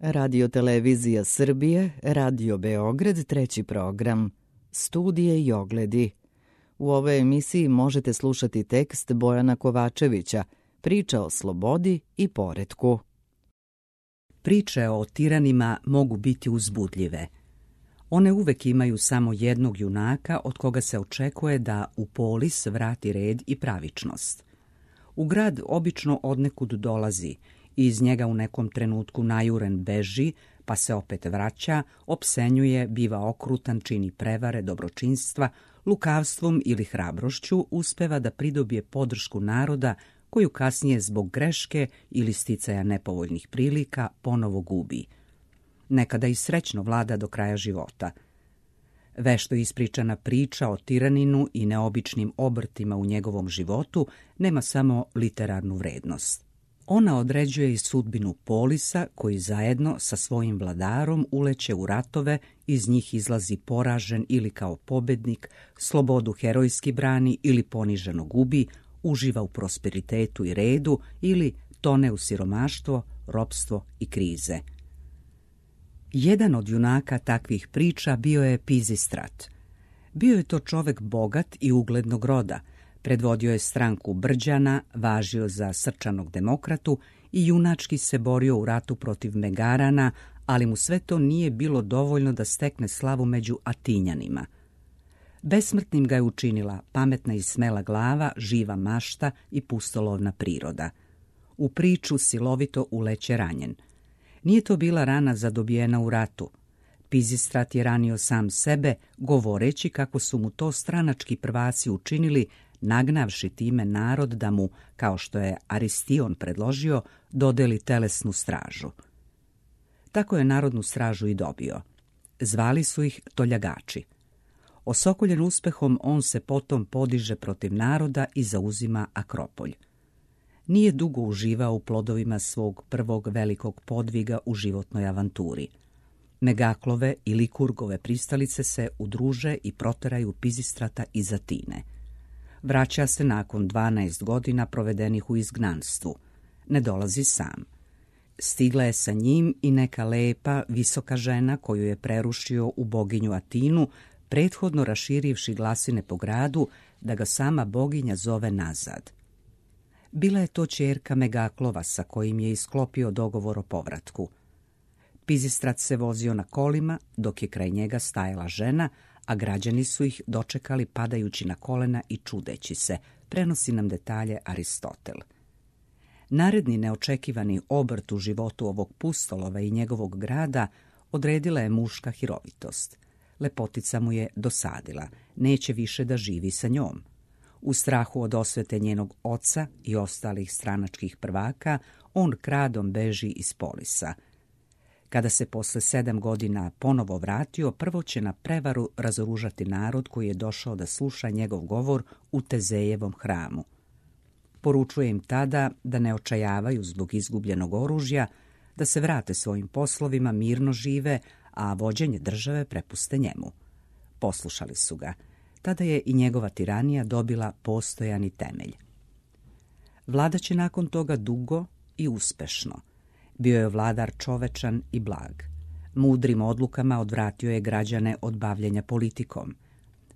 Radio Televizija Srbije, Radio Beograd, treći program. Studije i ogledi. U ovoj emisiji možete slušati tekst Bojana Kovačevića, priča o slobodi i poretku. Priče o tiranima mogu biti uzbudljive. One uvek imaju samo jednog junaka od koga se očekuje da u polis vrati red i pravičnost. U grad obično odnekud dolazi i iz njega u nekom trenutku najuren beži, pa se opet vraća, opsenjuje, biva okrutan, čini prevare, dobročinstva, lukavstvom ili hrabrošću uspeva da pridobije podršku naroda koju kasnije zbog greške ili sticaja nepovoljnih prilika ponovo gubi. Nekada i srećno vlada do kraja života. Vešto ispričana priča o tiraninu i neobičnim obrtima u njegovom životu nema samo literarnu vrednost. Ona određuje i sudbinu polisa koji zajedno sa svojim vladarom uleće u ratove, iz njih izlazi poražen ili kao pobednik, slobodu herojski brani ili poniženo gubi, uživa u prosperitetu i redu ili tone u siromaštvo, ropstvo i krize. Jedan od junaka takvih priča bio je Pizistrat. Bio je to čovek bogat i uglednog roda, predvodio je stranku Brđana, važio za srčanog demokratu i junački se borio u ratu protiv Megarana, ali mu sve to nije bilo dovoljno da stekne slavu među Atinjanima. Besmrtnim ga je učinila pametna i smela glava, živa mašta i pustolovna priroda. U priču silovito uleće ranjen. Nije to bila rana zadobijena u ratu. Pizistrat je ranio sam sebe, govoreći kako su mu to stranački prvaci učinili, nagnavši time narod da mu, kao što je Aristion predložio, dodeli telesnu stražu. Tako je narodnu stražu i dobio. Zvali su ih toljagači. Osokoljen uspehom, on se potom podiže protiv naroda i zauzima Akropolj. Nije dugo uživao u plodovima svog prvog velikog podviga u životnoj avanturi. Megaklove i Likurgove pristalice se udruže i proteraju Pizistrata iz Atine. Vraća se nakon 12 godina provedenih u izgnanstvu. Ne dolazi sam. Stigla je sa njim i neka lepa, visoka žena koju je prerušio u boginju Atinu, prethodno raširivši glasine po gradu da ga sama boginja zove nazad. Bila je to ćerka Megaklova sa kojim je isklopio dogovor o povratku. Pizistrat se vozio na kolima, dok je kraj njega stajala žena, a građani su ih dočekali padajući na kolena i čudeći se, prenosi nam detalje Aristotel. Naredni neočekivani obrt u životu ovog pustolova i njegovog grada odredila je muška hirovitost. Lepotica mu je dosadila, neće više da živi sa njom. U strahu od osvete njenog oca i ostalih stranačkih prvaka, on kradom beži iz polisa. Kada se posle 7 godina ponovo vratio, prvo će na prevaru razoružati narod koji je došao da sluša njegov govor u Tezejevom hramu. Poručuje im tada da ne očajavaju zbog izgubljenog oružja, da se vrate svojim poslovima, mirno žive, a vođenje države prepuste njemu. Poslušali su ga. Tada je i njegova tiranija dobila postojani temelj. Vladaće nakon toga dugo i uspešno. Bio je vladar čovečan i blag. Mudrim odlukama odvratio je građane od bavljenja politikom.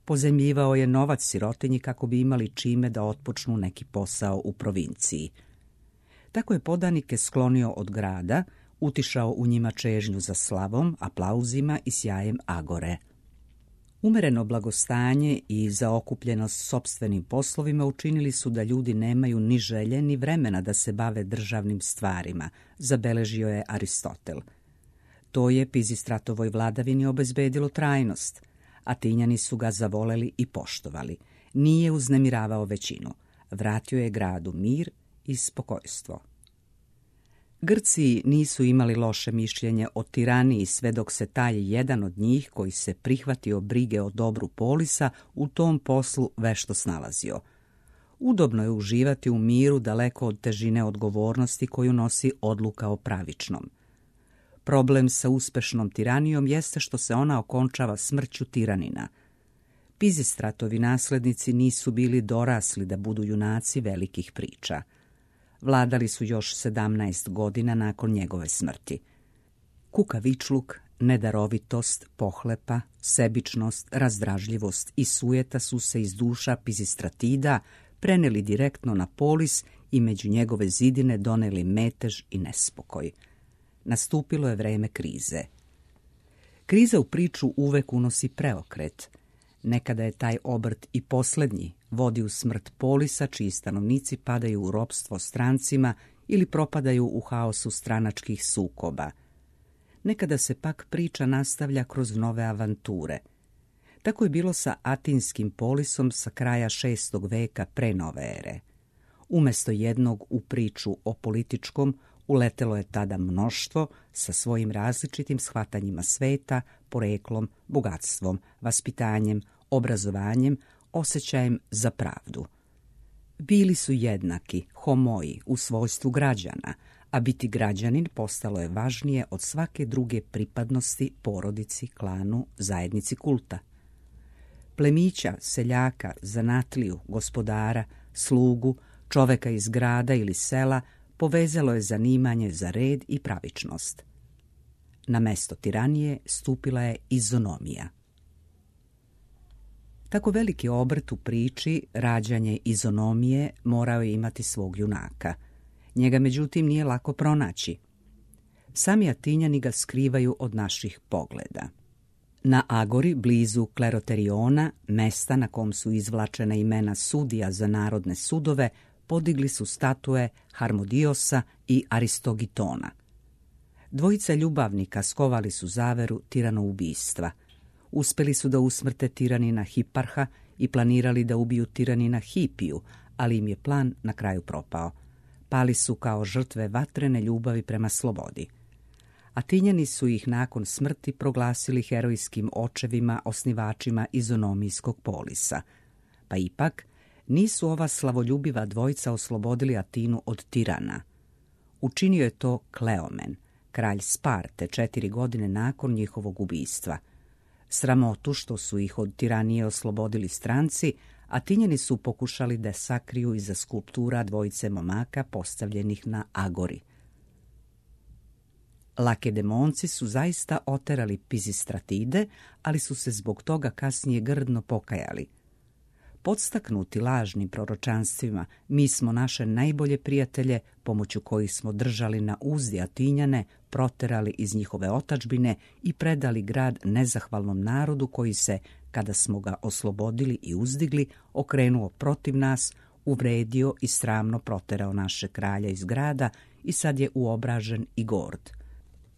Pozajmljivao je novac sirotinji kako bi imali čime da otpočnu neki posao u provinciji. Tako je podanike sklonio od grada, utišao u njima čežnju za slavom, aplauzima i sjajem agore. Umereno blagostanje i zaokupljenost sopstvenim poslovima učinili su da ljudi nemaju ni želje ni vremena da se bave državnim stvarima, zabeležio je Aristotel. To je Pizistratovoj vladavini obezbedilo trajnost. Atinjani su ga zavoleli i poštovali. Nije uznemiravao većinu. Vratio je gradu mir i spokojstvo. Grci nisu imali loše mišljenje o tiraniji sve dok se taj jedan od njih koji se prihvatio brige o dobru polisa u tom poslu vešto snalazio. Udobno je uživati u miru daleko od težine odgovornosti koju nosi odluka o pravičnom. Problem sa uspešnom tiranijom jeste što se ona okončava smrću tiranina. Pizistratovi naslednici nisu bili dorasli da budu junaci velikih priča. Vladali su još 17 godina nakon njegove smrti. Kukavičluk, nedarovitost, pohlepa, sebičnost, razdražljivost i sujeta su se iz duša Pizistratida preneli direktno na Polis i među njegove zidine doneli metež i nespokoj. Nastupilo je vreme krize. Kriza u priču uvek unosi preokret. Nekada je taj obrt i posljednji, vodi u smrt Polisa, čiji stanovnici padaju u ropstvo strancima ili propadaju u haosu stranačkih sukoba. Nekada se pak priča nastavlja kroz nove avanture. Tako je bilo sa Atinskim Polisom sa kraja 6. veka pre nove ere. Umjesto jednog u priču o političkom, uletelo je tada mnoštvo sa svojim različitim shvatanjima sveta, poreklom, bogatstvom, vaspitanjem, obrazovanjem, osjećajem za pravdu. Bili su jednaki, homoi, u svojstvu građana, a biti građanin postalo je važnije od svake druge pripadnosti porodici, klanu, zajednici kulta. Plemića, seljaka, zanatliju, gospodara, slugu, čoveka iz grada ili sela povezalo je zanimanje za red i pravičnost. Na mesto tiranije stupila je izonomija. Tako veliki obrt u priči, rađanje izonomije, morao je imati svog junaka. Njega međutim nije lako pronaći. Sami Atinjani ga skrivaju od naših pogleda. Na Agori, blizu Kleroteriona, mesta na kom su izvlačena imena sudija za narodne sudove, podigli su statue Harmodiosa i Aristogitona. Dvojica ljubavnika skovali su zaveru tiranoubistva. Uspeli su da usmrte tiranina Hiparha i planirali da ubiju tiranina Hipiju, ali im je plan na kraju propao. Pali su kao žrtve vatrene ljubavi prema slobodi. Atinjani su ih nakon smrti proglasili herojskim očevima, osnivačima izonomijskog polisa. Pa ipak, nisu ova slavoljubiva dvojica oslobodili Atinu od tirana. Učinio je to Kleomen, kralj Sparte, 4 godine nakon njihovog ubistva. Sramotu što su ih od tiranije oslobodili stranci, Atinjani su pokušali da sakriju iza skulptura dvojice momaka postavljenih na Agori. Lakedemonci su zaista oterali Pizistratide, ali su se zbog toga kasnije grdno pokajali. Podstaknuti lažnim proročanstvima, mi smo naše najbolje prijatelje, pomoću kojih smo držali na uzdi Atinjane, proterali iz njihove otadžbine i predali grad nezahvalnom narodu koji se, kada smo ga oslobodili i uzdigli, okrenuo protiv nas, uvredio i sramno proterao naše kralja iz grada i sad je uobražen i gord.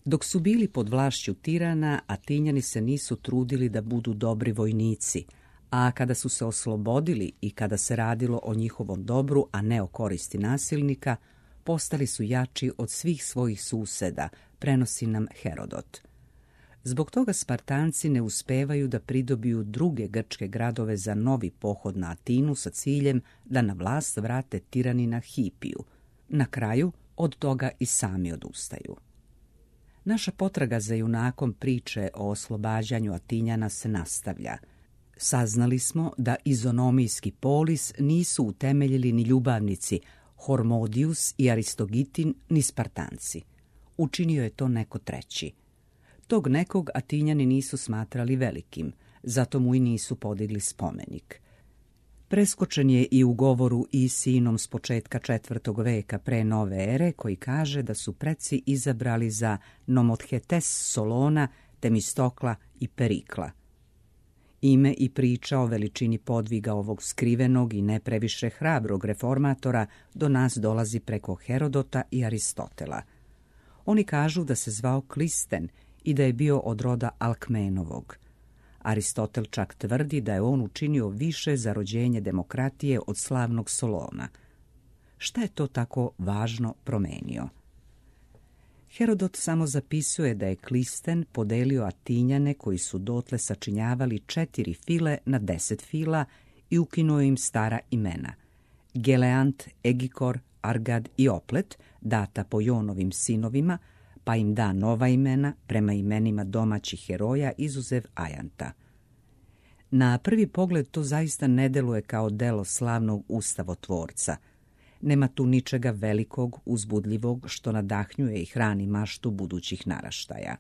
Dok su bili pod vlašću tirana, Atinjani se nisu trudili da budu dobri vojnici, a kada su se oslobodili i kada se radilo o njihovom dobru, a ne o koristi nasilnika, postali su jači od svih svojih suseda, prenosi nam Herodot. Zbog toga Spartanci ne uspevaju da pridobiju druge grčke gradove za novi pohod na Atinu sa ciljem da na vlast vrate tiranina Hipiju. Na kraju od toga i sami odustaju. Naša potraga za junakom priče o oslobađanju Atinjana se nastavlja. Saznali smo da izonomijski polis nisu utemeljili ni ljubavnici Hormodius i Aristogitin, ni Spartanci. Učinio je to neko treći. Tog nekog Atinjani nisu smatrali velikim, zato mu i nisu podigli spomenik. Preskočen je i u govoru Isinom s početka 4. veka pre nove ere, koji kaže da su preci izabrali za Nomothetes Solona, Temistokla i Perikla. Ime i priča o veličini podviga ovog skrivenog i ne previše hrabrog reformatora do nas dolazi preko Herodota i Aristotela. Oni kažu da se zvao Klisten i da je bio od roda Alkmenovog. Aristotel čak tvrdi da je on učinio više za rođenje demokratije od slavnog Solona. Šta je to tako važno promenio? Herodot samo zapisuje da je Klisten podelio Atinjane koji su dotle sačinjavali 4 file na 10 fila i ukinuo im stara imena. Geleant, Egikor, Argad i Oplet, data po Jonovim sinovima, pa im da nova imena prema imenima domaćih heroja izuzev Ajanta. Na prvi pogled to zaista ne deluje kao delo slavnog ustavotvorca. Nema tu ničega velikog, uzbudljivog, što nadahnjuje i hrani maštu budućih naraštaja.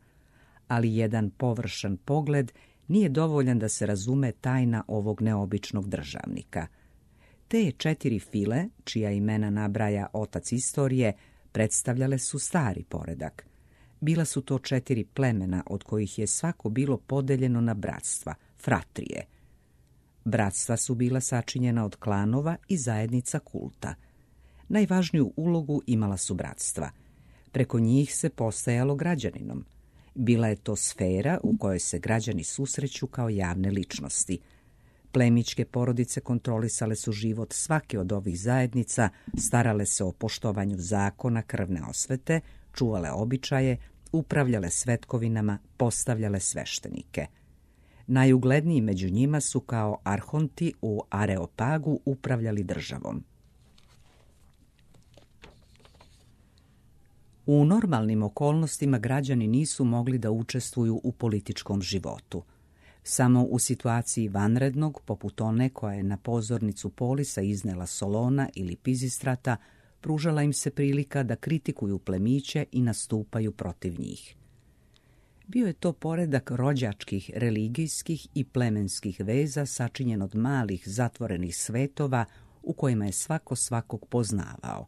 Ali jedan površan pogled nije dovoljan da se razume tajna ovog neobičnog državnika. Te 4 file, čija imena nabraja otac istorije, predstavljale su stari poredak. Bila su to 4 plemena od kojih je svako bilo podeljeno na bratstva, fratrije. Bratstva su bila sačinjena od klanova i zajednica kulta. Najvažniju ulogu imala su bratstva. Preko njih se postajalo građaninom. Bila je to sfera u kojoj se građani susreću kao javne ličnosti. Plemićke porodice kontrolisale su život svake od ovih zajednica, starale se o poštovanju zakona krvne osvete, čuvale običaje, upravljale svetkovinama, postavljale sveštenike. Najugledniji među njima su kao arhonti u Areopagu upravljali državom. U normalnim okolnostima građani nisu mogli da učestvuju u političkom životu. Samo u situaciji vanrednog, poput one koja je na pozornicu Polisa iznela Solona ili Pizistrata, pružala im se prilika da kritikuju plemiće i nastupaju protiv njih. Bio je to poredak rođačkih, religijskih i plemenskih veza sačinjen od malih zatvorenih svetova u kojima je svako svakog poznavao.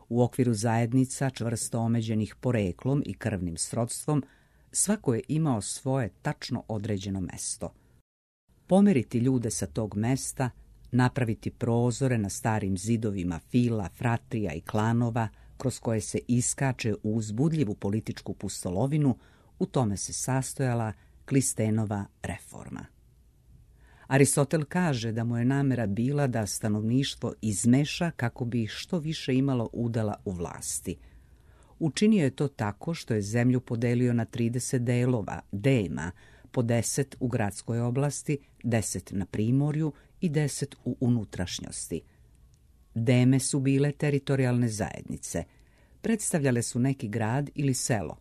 U okviru zajednica čvrsto omeđenih poreklom i krvnim srodstvom, svako je imao svoje tačno određeno mesto. Pomeriti ljude sa tog mesta, napraviti prozore na starim zidovima fila, fratrija i klanova, kroz koje se iskače u uzbudljivu političku pustolovinu, u tome se sastojala Klistenova reforma. Aristotel kaže da mu je namera bila da stanovništvo izmeša kako bi ih što više imalo udela u vlasti. Učinio je to tako što je zemlju podelio na 30 delova, dema, po 10 u gradskoj oblasti, 10 na primorju i 10 u unutrašnjosti. Deme su bile teritorijalne zajednice. Predstavljale su neki grad ili selo.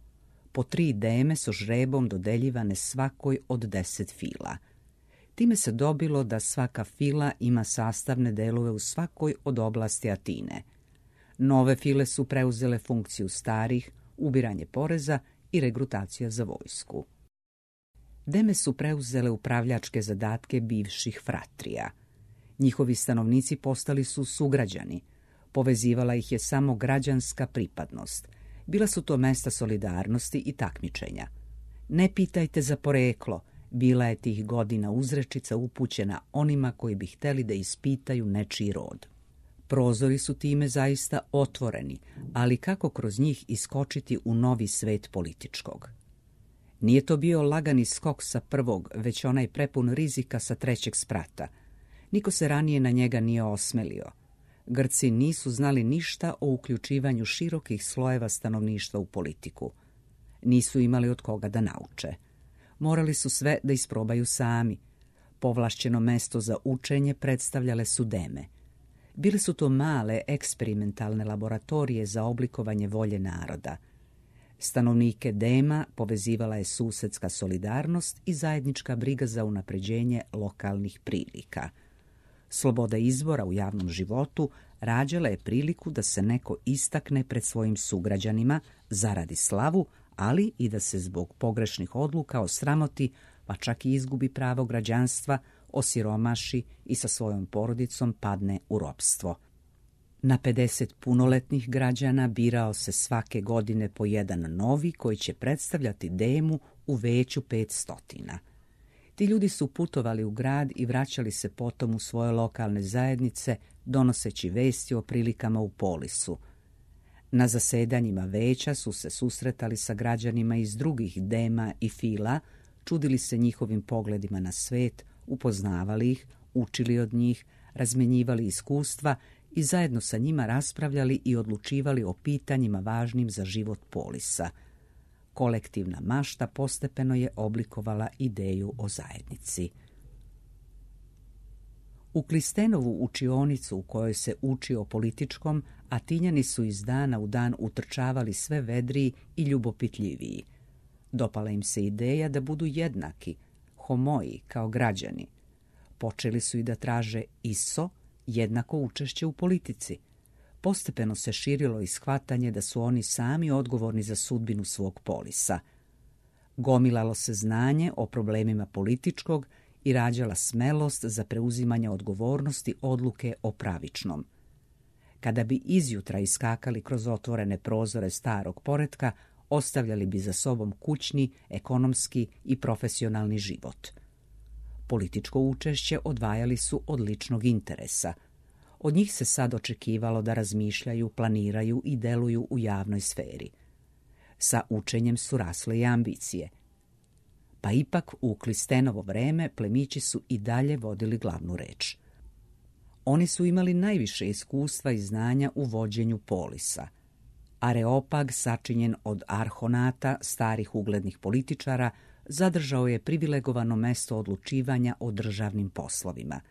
Po 3 deme su žrebom dodeljivane svakoj od 10 fila. Time se dobilo da svaka fila ima sastavne delove u svakoj od oblasti Atine. Nove file su preuzele funkciju starih, ubiranje poreza i regrutacija za vojsku. Deme su preuzele upravljačke zadatke bivših fratrija. Njihovi stanovnici postali su sugrađani. Povezivala ih je samo građanska pripadnost. Bila su to mesta solidarnosti i takmičenja. Ne pitajte za poreklo, bila je tih godina uzrečica upućena onima koji bi hteli da ispitaju nečiji rod. Prozori su time zaista otvoreni, ali kako kroz njih iskočiti u novi svet političkog? Nije to bio lagani skok sa prvog, već onaj prepun rizika sa 3. sprata. Niko se ranije na njega nije osmelio. Grci nisu znali ništa o uključivanju širokih slojeva stanovništva u politiku. Nisu imali od koga da nauče. Morali su sve da isprobaju sami. Povlašćeno mesto za učenje predstavljale su deme. Bile su to male eksperimentalne laboratorije za oblikovanje volje naroda. Stanovnike dema povezivala je susedska solidarnost i zajednička briga za unapređenje lokalnih prilika. Sloboda izbora u javnom životu rađala je priliku da se neko istakne pred svojim sugrađanima, zaradi slavu, ali i da se zbog pogrešnih odluka osramoti, pa čak i izgubi pravo građanstva, osiromaši i sa svojom porodicom padne u ropstvo. Na 50 punoletnih građana birao se svake godine po jedan novi koji će predstavljati demu u veću 500. Ti ljudi su putovali u grad i vraćali se potom u svoje lokalne zajednice, donoseći vesti o prilikama u Polisu. Na zasedanjima veća su se susretali sa građanima iz drugih dema i fila, čudili se njihovim pogledima na svet, upoznavali ih, učili od njih, razmenjivali iskustva i zajedno sa njima raspravljali i odlučivali o pitanjima važnim za život Polisa. Kolektivna mašta postepeno je oblikovala ideju o zajednici. U Klistenovu učionicu u kojoj se uči o političkom, Atinjani su iz dana u dan utrčavali sve vedriji i ljubopitljiviji. Dopala im se ideja da budu jednaki, homoji kao građani. Počeli su i da traže isto, jednako učešće u politici. postepeno se širilo i shvatanje da su oni sami odgovorni za sudbinu svog polisa. Gomilalo se znanje o problemima političkog i rađala smelost za preuzimanje odgovornosti odluke o pravičnom. Kada bi izjutra iskakali kroz otvorene prozore starog poretka, ostavljali bi za sobom kućni, ekonomski i profesionalni život. Političko učešće odvajali su od ličnog interesa. Od njih se sad očekivalo da razmišljaju, planiraju i deluju u javnoj sferi. Sa učenjem su rasle i ambicije. Pa ipak u Klistenovo vreme plemići su i dalje vodili glavnu reč. Oni su imali najviše iskustva i znanja u vođenju polisa. Areopag, sačinjen od arhonata, starih uglednih političara, zadržao je privilegovano mesto odlučivanja o državnim poslovima.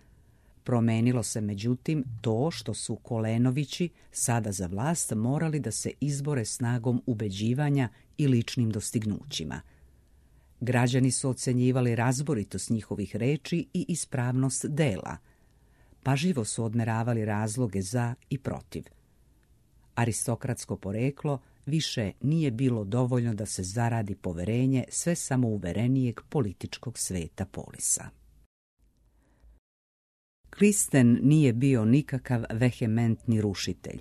Promenilo se međutim to što su Kolenovići sada za vlast morali da se izbore snagom ubeđivanja i ličnim dostignućima. Građani su ocenjivali razboritost njihovih reči i ispravnost dela. Pažljivo su odmeravali razloge za i protiv. Aristokratsko poreklo više nije bilo dovoljno da se zaradi poverenje sve samouverenijeg političkog sveta polisa. Klisten nije bio nikakav vehementni rušitelj.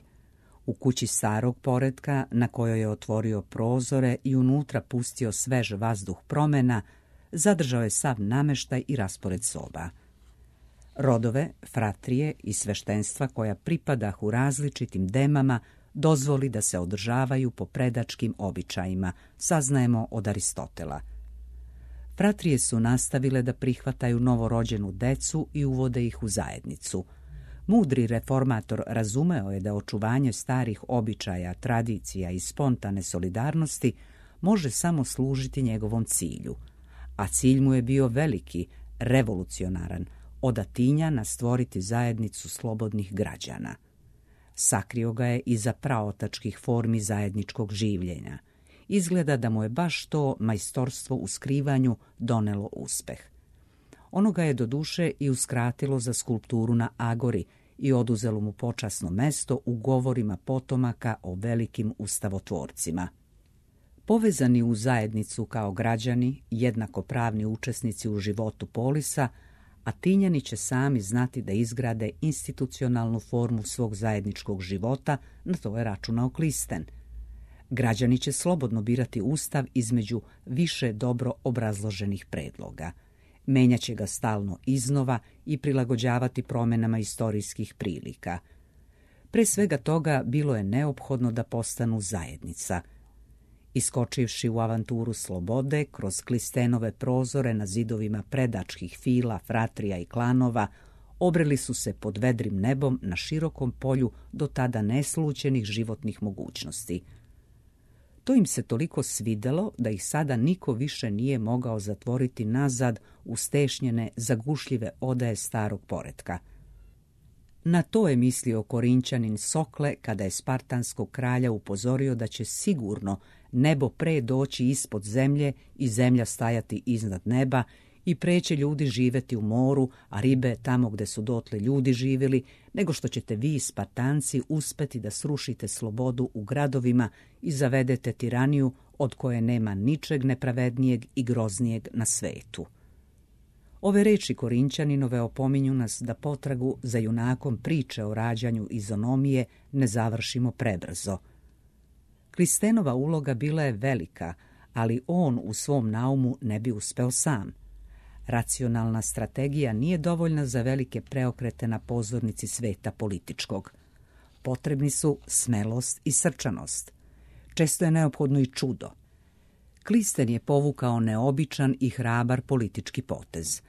U kući starog poretka, na kojoj je otvorio prozore i unutra pustio svež vazduh promena, zadržao je sav nameštaj i raspored soba. Rodove, fratrije i sveštenstva koja pripadahu različitim demama dozvoli da se održavaju po predačkim običajima, saznajemo od Aristotela. Fratrije su nastavile da prihvataju novorođenu decu i uvode ih u zajednicu. Mudri reformator razumeo je da očuvanje starih običaja, tradicija i spontane solidarnosti može samo služiti njegovom cilju, a cilj mu je bio veliki, revolucionaran, od Atinjana stvoriti zajednicu slobodnih građana. Sakrio ga je iza praotačkih formi zajedničkog življenja. Izgleda da mu je baš to majstorstvo u skrivanju donelo uspeh. Ono ga je doduše i uskratilo za skulpturu na Agori i oduzelo mu počasno mesto u govorima potomaka o velikim ustavotvorcima. Povezani u zajednicu kao građani, jednakopravni učesnici u životu polisa, Atinjani će sami znati da izgrade institucionalnu formu svog zajedničkog života, na to je računao Klisten. Građani će slobodno birati ustav između više dobro obrazloženih predloga. Menjaće ga stalno iznova i prilagođavati promjenama istorijskih prilika. Pre svega toga bilo je neophodno da postanu zajednica. Iskočivši u avanturu slobode, kroz Klistenove prozore na zidovima predačkih fila, fratrija i klanova, obreli su se pod vedrim nebom na širokom polju do tada neslućenih životnih mogućnosti. To im se toliko svidelo da ih sada niko više nije mogao zatvoriti nazad u stešnjene, zagušljive odaje starog poretka. Na to je mislio Korinćanin Sokle kada je spartanskog kralja upozorio da će sigurno nebo pre doći ispod zemlje i zemlja stajati iznad neba i pre će ljudi živeti u moru, a ribe tamo gde su dotle ljudi živjeli, nego što ćete vi, Spartanci, uspeti da srušite slobodu u gradovima i zavedete tiraniju od koje nema ničeg nepravednijeg i groznijeg na svetu. Ove reči Korinćaninove opominju nas da potragu za junakom priče o rađanju izonomije ne završimo prebrzo. Klistenova uloga bila je velika, ali on u svom naumu ne bi uspeo sam. Racionalna strategija nije dovoljna za velike preokrete na pozornici sveta političkog. Potrebni su smelost i srčanost. Često je neophodno i čudo. Klisten je povukao neobičan i hrabar politički potez.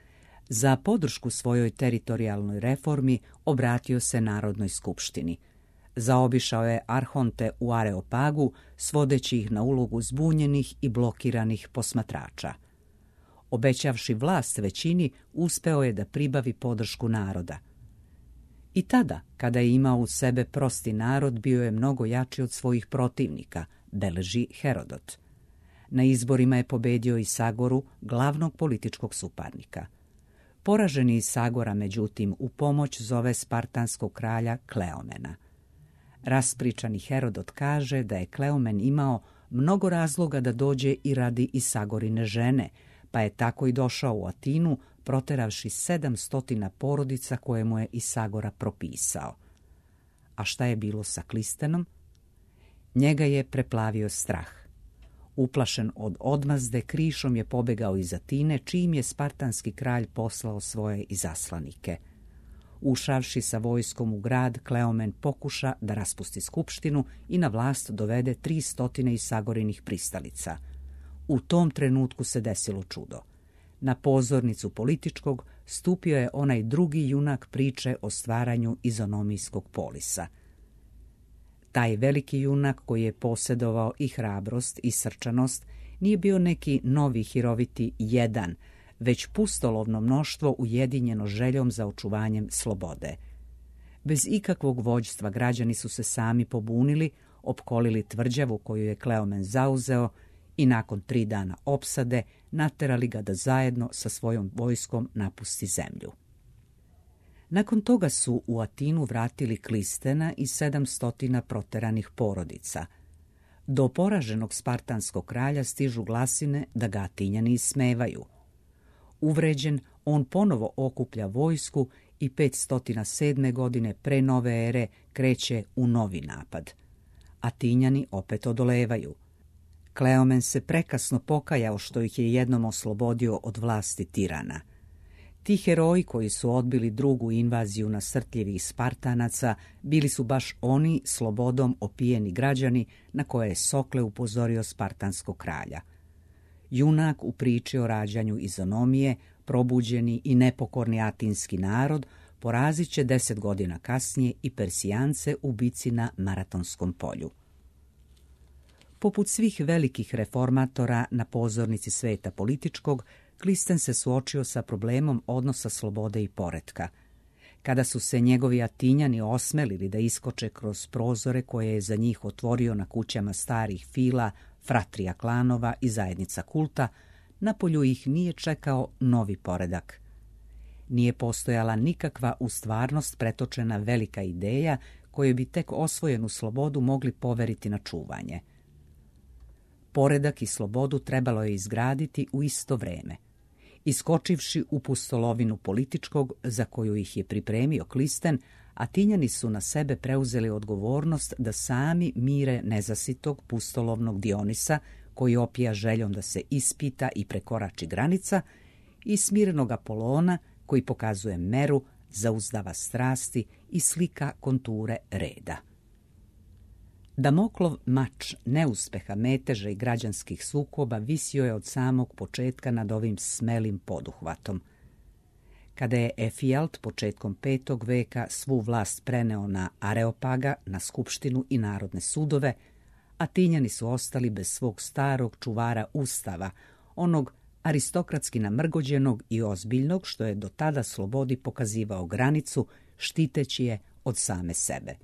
Za podršku svojoj teritorijalnoj reformi obratio se Narodnoj skupštini. Zaobišao je arhonte u Areopagu, svodeći ih na ulogu zbunjenih i blokiranih posmatrača. Obećavši vlast većini, uspeo je da pribavi podršku naroda. I tada, kada je imao u sebe prosti narod, bio je mnogo jači od svojih protivnika, beleži Herodot. Na izborima je pobedio i Sagoru, glavnog političkog suparnika. Poraženi iz Sagora, međutim, u pomoć zove spartanskog kralja Kleomena. Raspričani Herodot kaže da je Kleomen imao mnogo razloga da dođe i radi Isagorine žene, pa je tako i došao u Atinu, proteravši 700 porodica koje mu je Isagora propisao. A šta je bilo sa Klistenom? Njega je preplavio strah. Uplašen od odmazde, krišom je pobegao iz Atine, čim je spartanski kralj poslao svoje izaslanike. Ušavši sa vojskom u grad, Kleomen pokuša da raspusti skupštinu i na vlast dovede 300 Isagorinih pristalica. U tom trenutku se desilo čudo. Na pozornicu političkog stupio je onaj drugi junak priče o stvaranju izonomijskog polisa. Taj veliki junak koji je posjedovao i hrabrost i srčanost nije bio neki novi hiroviti jedan, već pustolovno mnoštvo ujedinjeno željom za očuvanjem slobode. Bez ikakvog vođstva građani su se sami pobunili, opkolili tvrđavu koju je Kleomen zauzeo i nakon 3 dana opsade naterali ga da zajedno sa svojom vojskom napusti zemlju. Nakon toga su u Atinu vratili Klistena i 700 proteranih porodica. Do poraženog spartanskog kralja stižu glasine da ga Atinjani ismevaju. Uvređen, on ponovo okuplja vojsku i 507. godine pre nove ere kreće u novi napad. Atinjani opet odolevaju. Kleomen se prekasno pokajao što ih je jednom oslobodio od vlasti tirana. Ti heroji koji su odbili drugu invaziju nasrtljivih Spartanaca bili su baš oni slobodom opijeni građani na koje je Sokle upozorio spartanskog kralja. Junak u priči o rađanju izonomije, probuđeni i nepokorni atinski narod, porazit će 10 godina kasnije i Persijance u bici na Maratonskom polju. Poput svih velikih reformatora na pozornici sveta političkog, Klisten se suočio sa problemom odnosa slobode i poretka. Kada su se njegovi Atinjani osmelili da iskoče kroz prozore koje je za njih otvorio na kućama starih fila, fratrija klanova i zajednica kulta, napolju ih nije čekao novi poredak. Nije postojala nikakva u stvarnost pretočena velika ideja koju bi tek osvojenu slobodu mogli poveriti na čuvanje. Poredak i slobodu trebalo je izgraditi u isto vreme. Iskočivši u pustolovinu političkog za koju ih je pripremio Klisten, Atinjani su na sebe preuzeli odgovornost da sami mire nezasitog pustolovnog Dionisa, koji opija željom da se ispita i prekorači granica, i smirenog Apolona, koji pokazuje meru, zauzdava strasti i slika konture reda. Damoklov mač neuspeha, meteža i građanskih sukoba visio je od samog početka nad ovim smelim poduhvatom. Kada je Efijalt početkom 5. veka svu vlast preneo na Areopaga, na skupštinu i narodne sudove, Atinjani su ostali bez svog starog čuvara ustava, onog aristokratski namrgođenog i ozbiljnog, što je do tada slobodi pokazivao granicu, štiteći je od same sebe.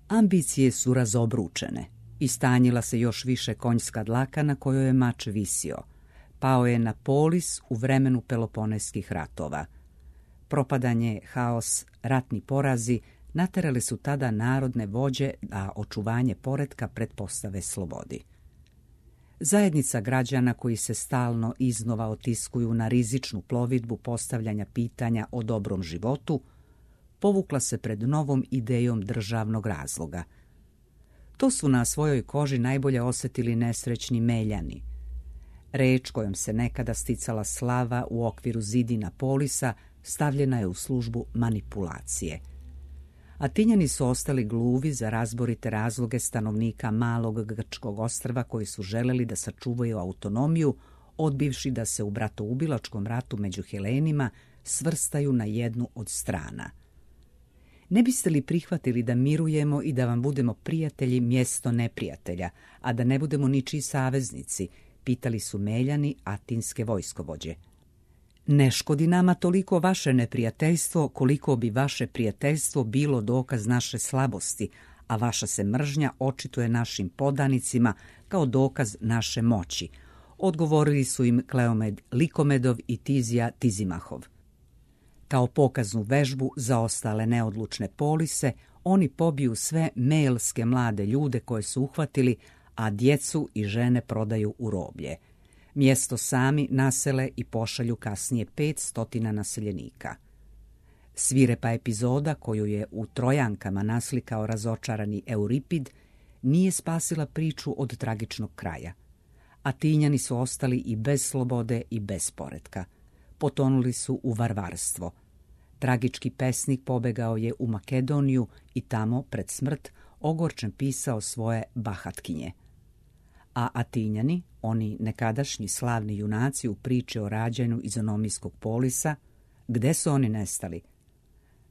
Ambicije su razobručene. Istanjila se još više konjska dlaka na kojoj je mač visio. Pao je na polis u vremenu Peloponeskih ratova. Propadanje, haos, ratni porazi naterali su tada narodne vođe da očuvanje poretka pretpostave slobodi. Zajednica građana koji se stalno iznova otiskuju na rizičnu plovidbu postavljanja pitanja o dobrom životu, povukla se pred novom idejom državnog razloga. To su na svojoj koži najbolje osjetili nesrećni Meljani. Reč kojom se nekada sticala slava u okviru zidina polisa stavljena je u službu manipulacije. Atinjani su ostali gluvi za razborite razloge stanovnika malog grčkog ostrva koji su želeli da sačuvaju autonomiju, odbivši da se u bratoubilačkom ratu među Helenima svrstaju na jednu od strana. Ne biste li prihvatili da mirujemo i da vam budemo prijatelji mjesto neprijatelja, a da ne budemo ničiji saveznici, pitali su Meljani atinske vojskovođe. Ne škodi nama toliko vaše neprijateljstvo, koliko bi vaše prijateljstvo bilo dokaz naše slabosti, a vaša se mržnja očituje našim podanicima kao dokaz naše moći, odgovorili su im Kleomed Likomedov i Tizija Tizimahov. Kao pokaznu vežbu za ostale neodlučne polise, Oni pobiju sve melske mlade ljude koje su uhvatili, a djecu i žene prodaju u roblje. Mjesto sami nasele i pošalju kasnije 500 naseljenika. Svirepa epizoda koju je u Trojankama naslikao razočarani Euripid nije spasila priču od tragičnog kraja. Atinjani su ostali i bez slobode i bez poretka. Potonuli su u varvarstvo. Tragički pesnik pobegao je u Makedoniju i tamo, pred smrt, ogorčen pisao svoje bahatkinje. A Atinjani, oni nekadašnji slavni junaci u priči o rađanju iz Onomijskog polisa, gde su oni nestali?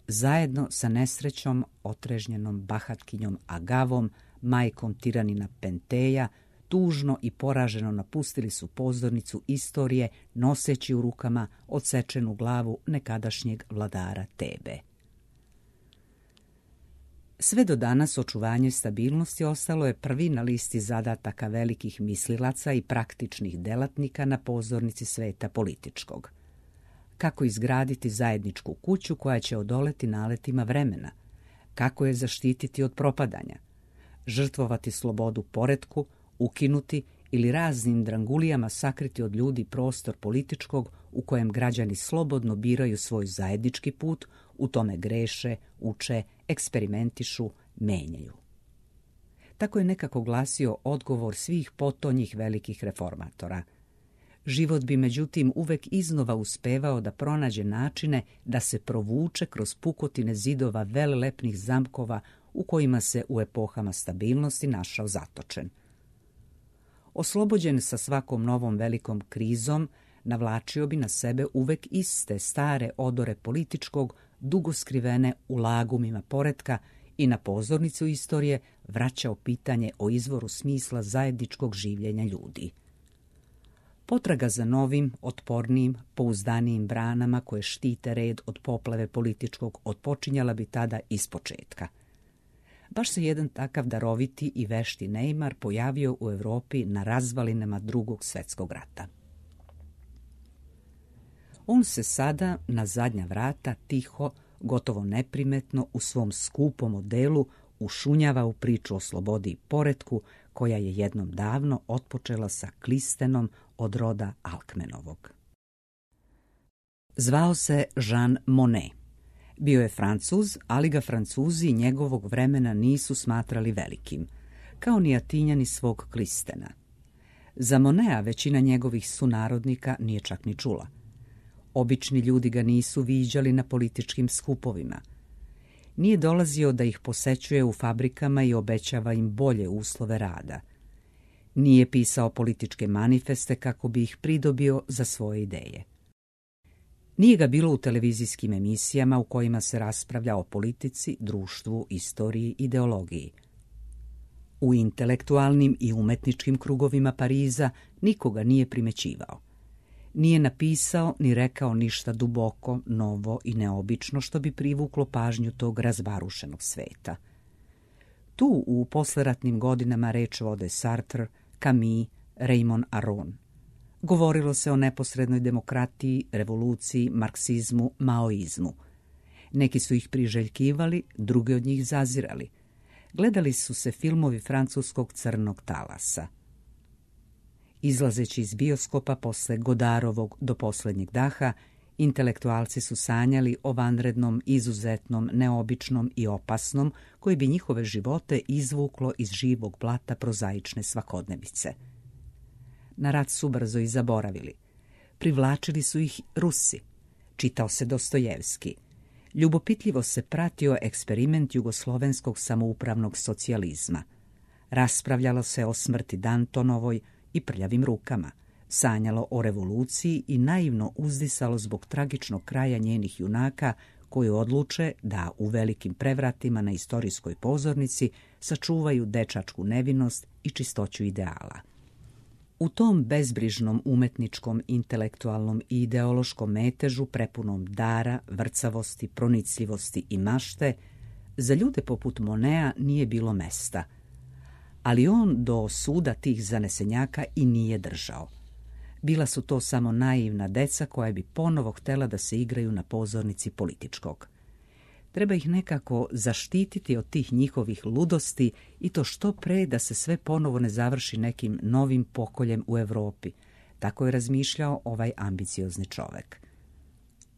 Zajedno sa nesrećom, otrežnjenom bahatkinjom Agavom, majkom tiranina Penteja, tužno i poraženo napustili su pozornicu istorije, noseći u rukama odsečenu glavu nekadašnjeg vladara Tebe. Sve do danas očuvanje stabilnosti ostalo je prvi na listi zadataka velikih mislilaca i praktičnih delatnika na pozornici sveta političkog. Kako izgraditi zajedničku kuću koja će odoleti naletima vremena? Kako je zaštititi od propadanja? Žrtvovati slobodu poretku, ukinuti ili raznim drangulijama sakriti od ljudi prostor političkog u kojem građani slobodno biraju svoj zajednički put, u tome greše, uče, eksperimentišu, menjaju. Tako je nekako glasio odgovor svih potonjih velikih reformatora. Život bi međutim uvek iznova uspevao da pronađe načine da se provuče kroz pukotine zidova velelepnih zamkova u kojima se u epohama stabilnosti našao zatočen. Oslobođen sa svakom novom velikom krizom, navlačio bi na sebe uvek iste stare odore političkog, dugo skrivene u lagumima poretka i na pozornicu istorije vraćao pitanje o izvoru smisla zajedničkog življenja ljudi. Potraga za novim, otpornijim, pouzdanijim branama koje štite red od poplave političkog otpočinjala bi tada ispočetka. Baš se jedan takav daroviti i vešti neimar pojavio u Europi na razvalinama Drugog svjetskog rata. On se sada na zadnja vrata tiho, gotovo neprimetno u svom skupom odelu ušunjava u priču o slobodi i poretku koja je jednom davno otpočela sa Klistenom od roda Alkmenovog. Zvao se Jean Monnet. Bio je Francuz, ali ga Francuzi njegovog vremena nisu smatrali velikim, kao ni Atinjani svog Klistena. Za Monneta većina njegovih sunarodnika nije čak ni čula. Obični ljudi ga nisu viđali na političkim skupovima. Nije dolazio da ih posećuje u fabrikama i obećava im bolje uslove rada. Nije pisao političke manifeste kako bi ih pridobio za svoje ideje. Nije ga bilo u televizijskim emisijama u kojima se raspravlja o politici, društvu, istoriji, ideologiji. U intelektualnim i umetničkim krugovima Pariza nikoga nije primećivao. Nije napisao ni rekao ništa duboko, novo i neobično što bi privuklo pažnju tog razvarušenog sveta. Tu u posleratnim godinama reč vode Sartre, Camus, Raymond Aron. Govorilo se o neposrednoj demokratiji, revoluciji, marksizmu, maoizmu. Neki su ih priželjkivali, drugi od njih zazirali. Gledali su se filmovi francuskog crnog talasa. Izlazeći iz bioskopa posle Godarovog Do posljednjeg daha, intelektualci su sanjali o vanrednom, izuzetnom, neobičnom i opasnom, koji bi njihove živote izvuklo iz živog blata prozaične svakodnevice. Na rat su brzo i zaboravili. Privlačili su ih Rusi. Čitao se Dostojevski. Ljubopitljivo se pratio eksperiment jugoslovenskog samoupravnog socijalizma. Raspravljalo se o smrti Dantonovoj i prljavim rukama, sanjalo o revoluciji i naivno uzdisalo zbog tragičnog kraja njenih junaka koji odluče da u velikim prevratima na istorijskoj pozornici sačuvaju dečačku nevinost i čistoću ideala. U tom bezbrižnom umetničkom, intelektualnom i ideološkom metežu prepunom dara, vrcavosti, pronicljivosti i mašte, za ljude poput Monneta nije bilo mesta. Ali on do suda tih zanesenjaka i nije držao. Bila su to samo naivna deca koja bi ponovo htela da se igraju na pozornici političkog. Treba ih nekako zaštititi od tih njihovih ludosti i to što pre da se sve ponovo ne završi nekim novim pokoljem u Europi. Tako je razmišljao ovaj ambiciozni čovek.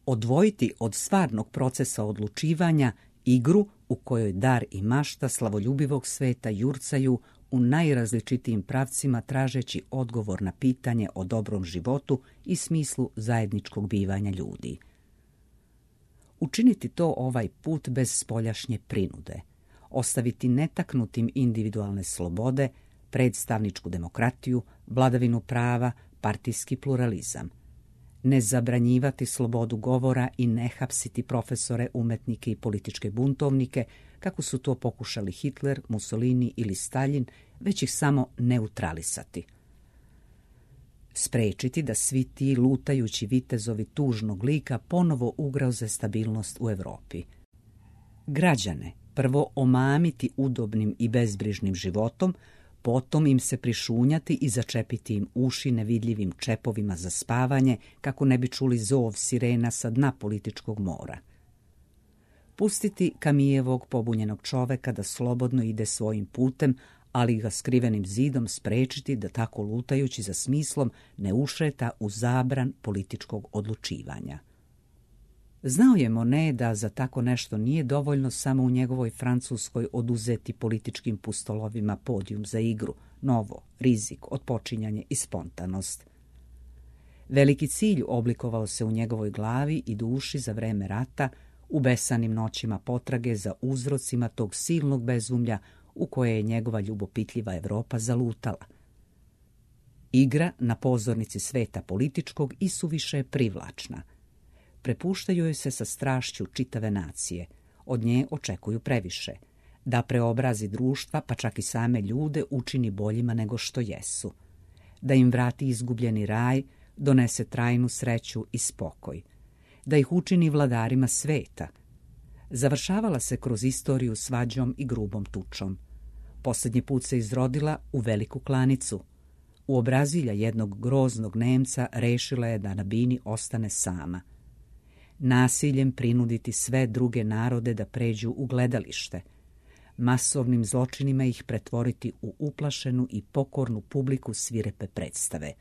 Odvojiti od stvarnog procesa odlučivanja igru u kojoj dar i mašta slavoljubivog sveta jurcaju u najrazličitijim pravcima tražeći odgovor na pitanje o dobrom životu i smislu zajedničkog bivanja ljudi. Učiniti to ovaj put bez spoljašnje prinude, ostaviti netaknutim individualne slobode, predstavničku demokratiju, vladavinu prava, partijski pluralizam. Ne zabranjivati slobodu govora i ne hapsiti profesore, umetnike i političke buntovnike, kako su to pokušali Hitler, Mussolini ili Stalin, već ih samo neutralisati. Sprečiti da svi ti lutajući vitezovi tužnog lika ponovo ugroze stabilnost u Europi. Građane prvo omamiti udobnim i bezbrižnim životom, potom im se prišunjati i začepiti im uši nevidljivim čepovima za spavanje, kako ne bi čuli zov sirena sa dna političkog mora. Pustiti Kamijevog pobunjenog čoveka da slobodno ide svojim putem, ali ga skrivenim zidom sprečiti da tako lutajući za smislom ne ušeta u zabran političkog odlučivanja. Znao je Monet da za tako nešto nije dovoljno samo u njegovoj Francuskoj oduzeti političkim pustolovima podijum za igru, novo, rizik, otpočinjanje i spontanost. Veliki cilj oblikovao se u njegovoj glavi i duši za vreme rata, u besanim noćima potrage za uzrocima tog silnog bezumlja u koje je njegova ljubopitljiva Evropa zalutala. Igra na pozornici sveta političkog isuviše je privlačna. Prepuštaju joj se sa strašću čitave nacije, od nje očekuju previše, da preobrazi društva, pa čak i same ljude učini boljima nego što jesu, da im vrati izgubljeni raj, donese trajnu sreću i spokoj, da ih učini vladarima sveta. Završavala se kroz istoriju svađom i grubom tučom. Posljednji put se izrodila u veliku klanicu. U obrazilja jednog groznog Nemca rešila je da na bini ostane sama. Nasiljem prinuditi sve druge narode da pređu u gledalište, masovnim zločinima ih pretvoriti u uplašenu i pokornu publiku svirepe predstave,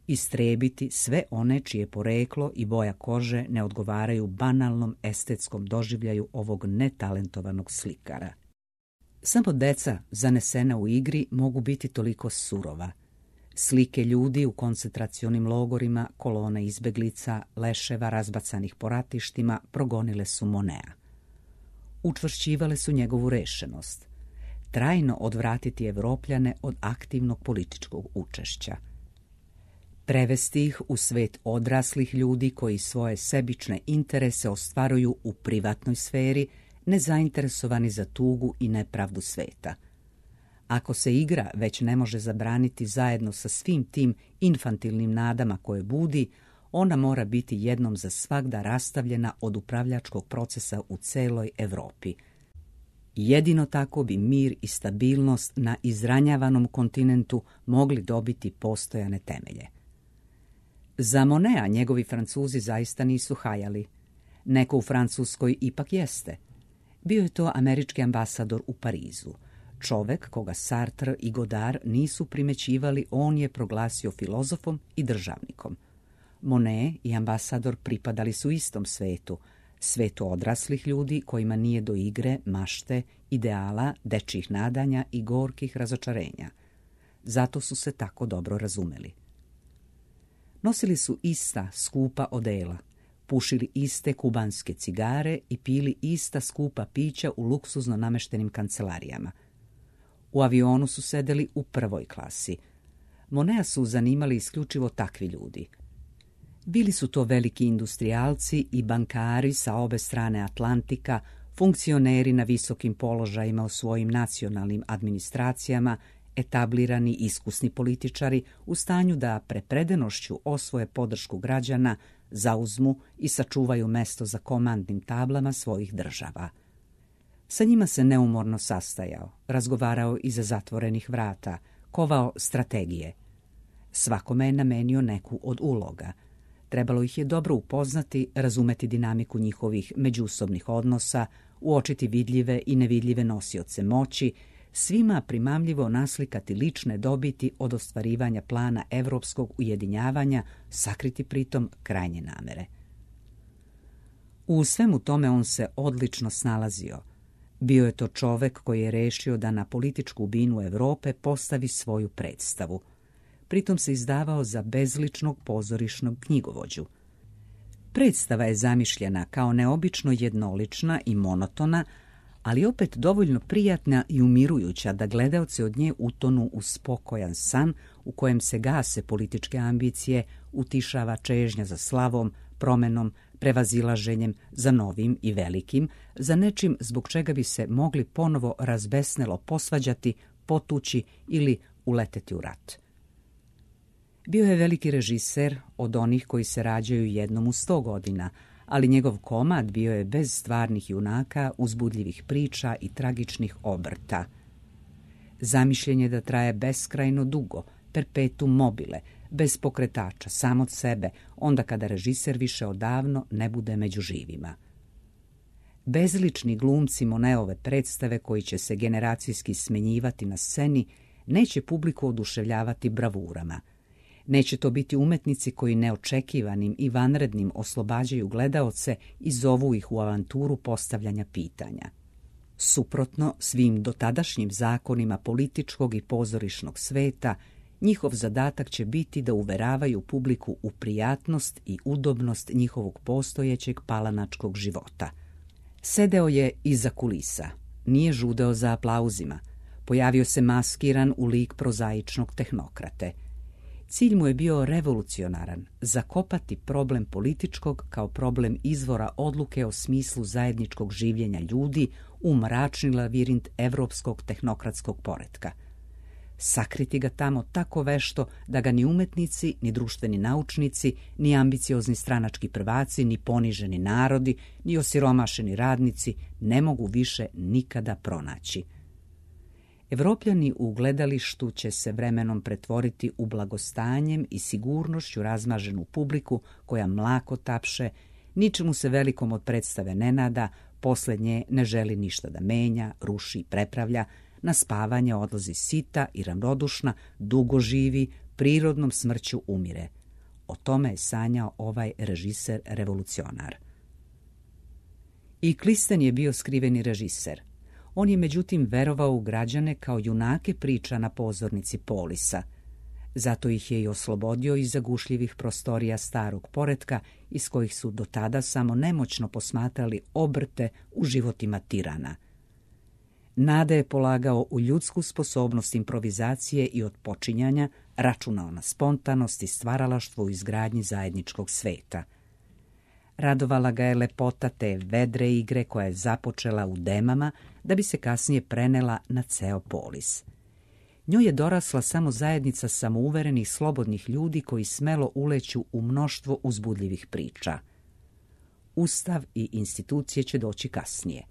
istrebiti sve one čije poreklo i boja kože ne odgovaraju banalnom estetskom doživljaju ovog netalentovanog slikara. Samo deca zanesena u igri mogu biti toliko surova. Slike ljudi u koncentracionim logorima, kolone izbeglica, leševa razbacanih po ratištima progonile su Monea. Učvršćivale su njegovu rešenost. Trajno odvratiti Evropljane od aktivnog političkog učešća. Prevesti ih u svet odraslih ljudi koji svoje sebične interese ostvaruju u privatnoj sferi, nezainteresovani za tugu i nepravdu sveta. Ako se igra već ne može zabraniti zajedno sa svim tim infantilnim nadama koje budi, ona mora biti jednom za svagda rastavljena od upravljačkog procesa u celoj Evropi. Jedino tako bi mir i stabilnost na izranjavanom kontinentu mogli dobiti postojane temelje. Za Monea njegovi Francuzi zaista nisu hajali. Neko u Francuskoj ipak jeste. Bio je to američki ambasador u Parizu. Čovek koga Sartre i Godard nisu primećivali, on je proglasio filozofom i državnikom. Monet i ambasador pripadali su istom svetu, svetu odraslih ljudi kojima nije do igre, mašte, ideala, dečjih nadanja i gorkih razočarenja. Zato su se tako dobro razumeli. Nosili su ista skupa odela, pušili iste kubanske cigare i pili ista skupa pića u luksuzno nameštenim kancelarijama. U avionu su sedeli u prvoj klasi. Monea su zanimali isključivo takvi ljudi. Bili su to veliki industrijalci i bankari sa obe strane Atlantika, funkcioneri na visokim položajima u svojim nacionalnim administracijama, etablirani iskusni političari u stanju da prepredenošću osvoje podršku građana, zauzmu i sačuvaju mesto za komandnim tablama svojih država. Sa njima se neumorno sastajao, razgovarao iza zatvorenih vrata, kovao strategije. Svakome je namenio neku od uloga. Trebalo ih je dobro upoznati, razumeti dinamiku njihovih međusobnih odnosa, uočiti vidljive i nevidljive nosioce moći, svima primamljivo naslikati lične dobiti od ostvarivanja plana evropskog ujedinjavanja, sakriti pritom krajnje namere. U svemu tome on se odlično snalazio. Bio je to čovek koji je rešio da na političku binu Evrope postavi svoju predstavu. Pritom se izdavao za bezličnog pozorišnog knjigovođu. Predstava je zamišljena kao neobično jednolična i monotona, ali opet dovoljno prijatna i umirujuća da gledaoci od nje utonu u spokojan san u kojem se gase političke ambicije, utišava čežnja za slavom, promenom, prevazilaženjem, za novim i velikim, za nečim zbog čega bi se mogli ponovo razbesnelo posvađati, potući ili uleteti u rat. Bio je veliki režiser od onih koji se rađaju jednom u 100 godina, ali njegov komad bio je bez stvarnih junaka, uzbudljivih priča i tragičnih obrta. Zamišljen je da traje beskrajno dugo, perpetuum mobile, bez pokretača, sam od sebe, onda kada režiser više odavno ne bude među živima. Bezlični glumci Moneove predstave koji će se generacijski smenjivati na sceni neće publiku oduševljavati bravurama. Neće to biti umetnici koji neočekivanim i vanrednim oslobađaju gledaoce i zovu ih u avanturu postavljanja pitanja. Suprotno svim dotadašnjim zakonima političkog i pozorišnog sveta, njihov zadatak će biti da uveravaju publiku u prijatnost i udobnost njihovog postojećeg palanačkog života. Sedeo je iza kulisa, nije žudeo za aplauzima, pojavio se maskiran u lik prozaičnog tehnokrate. Cilj mu je bio revolucionaran, zakopati problem političkog kao problem izvora odluke o smislu zajedničkog življenja ljudi u mračni lavirint evropskog tehnokratskog poretka. Sakriti ga tamo tako vešto da ga ni umetnici, ni društveni naučnici, ni ambiciozni stranački prvaci, ni poniženi narodi, ni osiromašeni radnici ne mogu više nikada pronaći. Evropljani u gledalištu će se vremenom pretvoriti u blagostanjem i sigurnošću razmaženu publiku koja mlako tapše, ničemu se velikom od predstave ne nada, posljednje ne želi ništa da menja, ruši i prepravlja, na spavanje odlazi sita i ravnodušna, dugo živi, prirodnom smrću umire. O tome je sanjao ovaj režiser revolucionar. I Klisten je bio skriveni režiser. On je međutim verovao u građane kao junake priča na pozornici Polisa. Zato ih je i oslobodio iz zagušljivih prostorija starog poretka iz kojih su do tada samo nemoćno posmatrali obrte u životima tirana. Nada je polagao u ljudsku sposobnost improvizacije i otpočinjanja, računao na spontanost i stvaralaštvo u izgradnji zajedničkog sveta. Radovala ga je lepota te vedre igre koja je započela u Demama da bi se kasnije prenela na ceo Polis. Njoj je dorasla samo zajednica samouverenih slobodnih ljudi koji smelo uleću u mnoštvo uzbudljivih priča. Ustav i institucije će doći kasnije.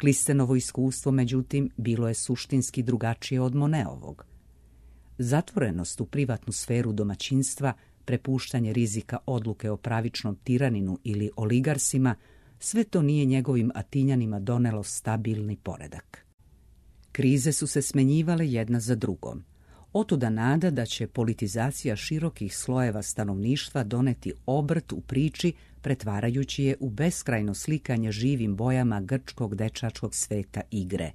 Klistenovo iskustvo, međutim, bilo je suštinski drugačije od Moneovog. Zatvorenost u privatnu sferu domaćinstva, prepuštanje rizika odluke o pravičnom tiraninu ili oligarsima, sve to nije njegovim Atinjanima donelo stabilni poredak. Krize su se smenjivale jedna za drugom. Otuda nada da će politizacija širokih slojeva stanovništva doneti obrt u priči, pretvarajući je u beskrajno slikanje živim bojama grčkog dečačkog sveta igre.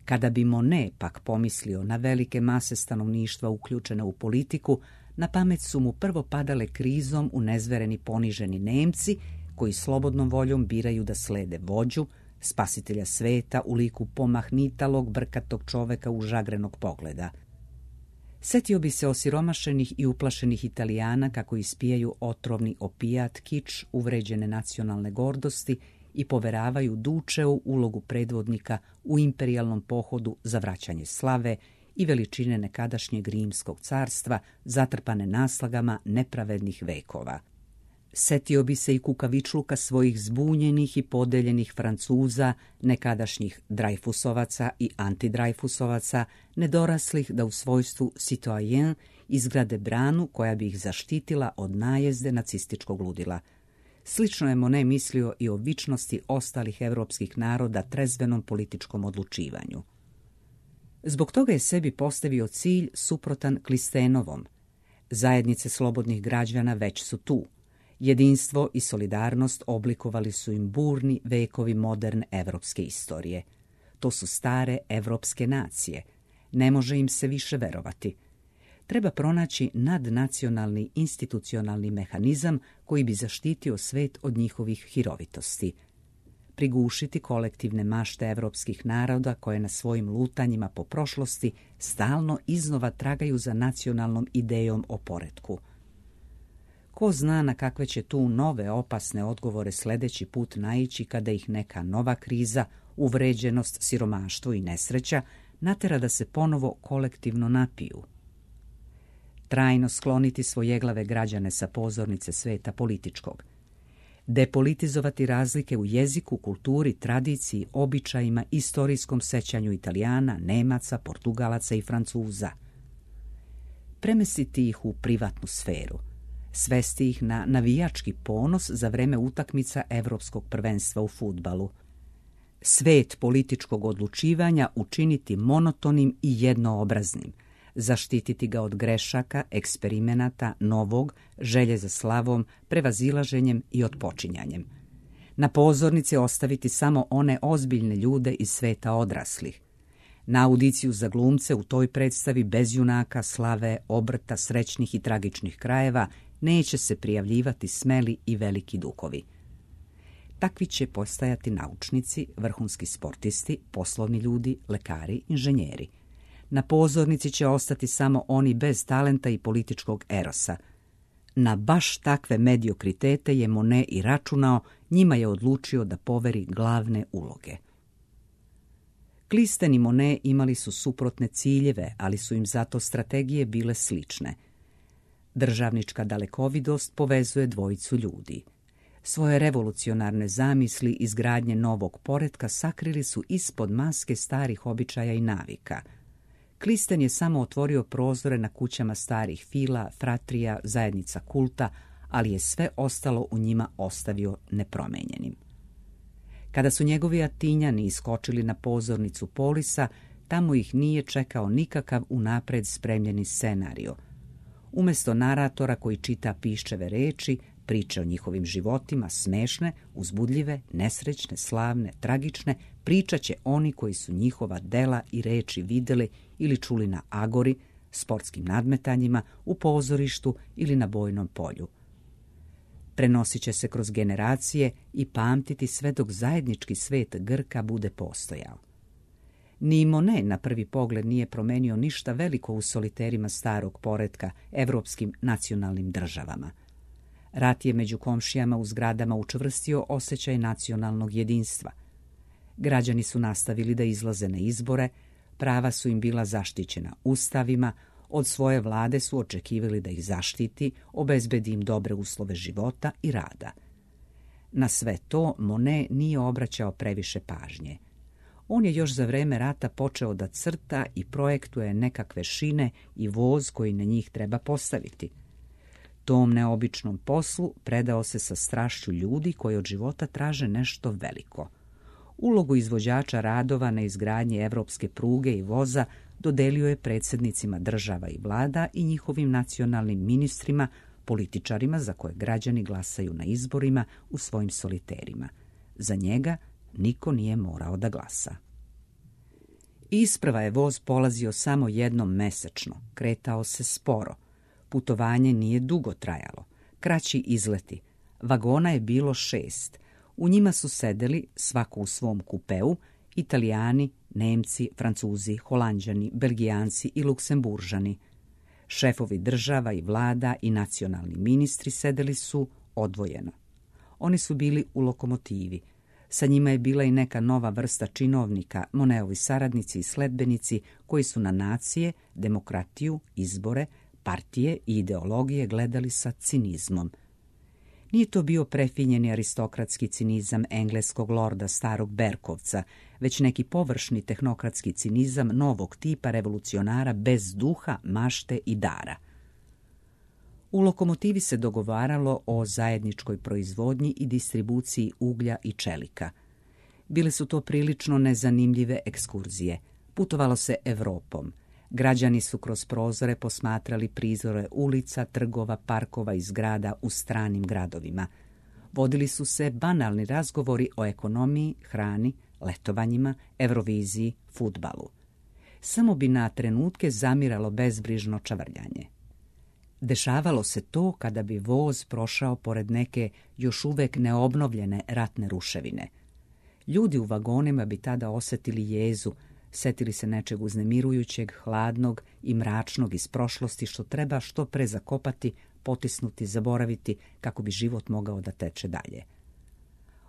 Kada bi Monet pak pomislio na velike mase stanovništva uključene u politiku, na pamet su mu prvo padale krizom unezvereni poniženi Nemci, koji slobodnom voljom biraju da slede vođu, spasitelja sveta u liku pomahnitalog, brkatog čoveka užagrenog pogleda. Setio bi se osiromašenih i uplašenih Italijana kako ispijaju otrovni opijat, kič, uvređene nacionalne gordosti i poveravaju Dučeu ulogu predvodnika u imperijalnom pohodu za vraćanje slave i veličine nekadašnjeg rimskog carstva zatrpane naslagama nepravednih vekova. Setio bi se i kukavičluka svojih zbunjenih i podeljenih Francuza, nekadašnjih Dreyfusovaca i antidrajfusovaca, nedoraslih da u svojstvu citoyen izgrade branu koja bi ih zaštitila od najezde nacističkog ludila. Slično je Monet mislio i o vičnosti ostalih evropskih naroda trezvenom političkom odlučivanju. Zbog toga je sebi postavio cilj suprotan Clisténovom. Zajednice slobodnih građana već su tu. Jedinstvo i solidarnost oblikovali su im burni vekovi moderne evropske istorije. To su stare evropske nacije. Ne može im se više verovati. Treba pronaći nadnacionalni institucionalni mehanizam koji bi zaštitio svet od njihovih hirovitosti. Prigušiti kolektivne mašte evropskih naroda koje na svojim lutanjima po prošlosti stalno iznova tragaju za nacionalnom idejom o poretku. Ko zna na kakve će tu nove opasne odgovore sljedeći put naići kada ih neka nova kriza, uvređenost, siromaštvo i nesreća natera da se ponovo kolektivno napiju. Trajno skloniti svojeglave građane sa pozornice sveta političkog. Depolitizovati razlike u jeziku, kulturi, tradiciji, običajima, istorijskom sećanju Italijana, Nemaca, Portugalaca i Francuza. Premestiti ih u privatnu sferu. Svesti ih na navijački ponos za vreme utakmica Evropskog prvenstva u fudbalu. Svet političkog odlučivanja učiniti monotonim i jednoobraznim. Zaštititi ga od grešaka, eksperimenata, novog, želje za slavom, prevazilaženjem i otpočinjanjem. Na pozornici ostaviti samo one ozbiljne ljude iz sveta odraslih. Na audiciju za glumce u toj predstavi bez junaka, slave, obrta, srećnih i tragičnih krajeva neće se prijavljivati smeli i veliki duhovi. Takvi će postajati naučnici, vrhunski sportisti, poslovni ljudi, lekari, inženjeri. Na pozornici će ostati samo oni bez talenta i političkog erosa. Na baš takve mediokritete je Monet i računao, njima je odlučio da poveri glavne uloge. Clisthène i Monet imali su suprotne ciljeve, ali su im zato strategije bile slične. Državnička dalekovidost povezuje dvojicu ljudi. Svoje revolucionarne zamisli izgradnje novog poretka sakrili su ispod maske starih običaja i navika. Clisthène je samo otvorio prozore na kućama starih fila, fratrija, zajednica kulta, ali je sve ostalo u njima ostavio nepromenjenim. Kada su njegovi Atinjani iskočili na pozornicu Polisa, tamo ih nije čekao nikakav unapred spremljeni scenario. Umjesto naratora koji čita piščeve reči, priče o njihovim životima, smešne, uzbudljive, nesrećne, slavne, tragične, pričat će oni koji su njihova dela i reči vidjeli ili čuli na agori, sportskim nadmetanjima, u pozorištu ili na bojnom polju. Prenosit će se kroz generacije i pamtiti sve dok zajednički svet Grka bude postojao. Ni Monet na prvi pogled nije promenio ništa veliko u soliterima starog poretka, evropskim nacionalnim državama. Rat je među komšijama u zgradama učvrstio osjećaj nacionalnog jedinstva. Građani su nastavili da izlaze na izbore, prava su im bila zaštićena ustavima, od svoje vlade su očekivali da ih zaštiti, obezbedi im dobre uslove života i rada. Na sve to Monet nije obraćao previše pažnje. On je još za vreme rata počeo da crta i projektuje nekakve šine i voz koji na njih treba postaviti. Tom neobičnom poslu predao se sa strašću ljudi koji od života traže nešto veliko. Ulogu izvođača radova na izgradnji evropske pruge i voza dodelio je predsjednicima država i vlada i njihovim nacionalnim ministrima, političarima za koje građani glasaju na izborima u svojim soliterima. Za njega niko nije morao da glasa. Isprva je voz polazio samo jednom mesečno, kretao se sporo. Putovanje nije dugo trajalo, kraći izleti. Vagona je bilo 6. U njima su sedeli, svako u svom kupeu, Italijani, Nemci, Francuzi, Holanđani, Belgijanci i Luksemburžani. Šefovi država i vlada i nacionalni ministri sedeli su odvojeno. Oni su bili u lokomotivi. Sa njima je bila i neka nova vrsta činovnika, Moneovi saradnici i sledbenici koji su na nacije, demokratiju, izbore, partije i ideologije gledali sa cinizmom. Nije to bio prefinjeni aristokratski cinizam engleskog lorda starog Berkovca, već neki površni tehnokratski cinizam novog tipa revolucionara bez duha, mašte i dara. U lokomotivi se dogovaralo o zajedničkoj proizvodnji i distribuciji uglja i čelika. Bile su to prilično nezanimljive ekskurzije. Putovalo se Evropom. Građani su kroz prozore posmatrali prizore ulica, trgova, parkova i zgrada u stranim gradovima. Vodili su se banalni razgovori o ekonomiji, hrani, letovanjima, Euroviziji, fudbalu. Samo bi na trenutke zamiralo bezbrižno čavrljanje. Dešavalo se to kada bi voz prošao pored neke još uvek neobnovljene ratne ruševine. Ljudi u vagonima bi tada osjetili jezu, setili se nečeg uznemirujućeg, hladnog i mračnog iz prošlosti što treba što pre zakopati, potisnuti, zaboraviti kako bi život mogao da teče dalje.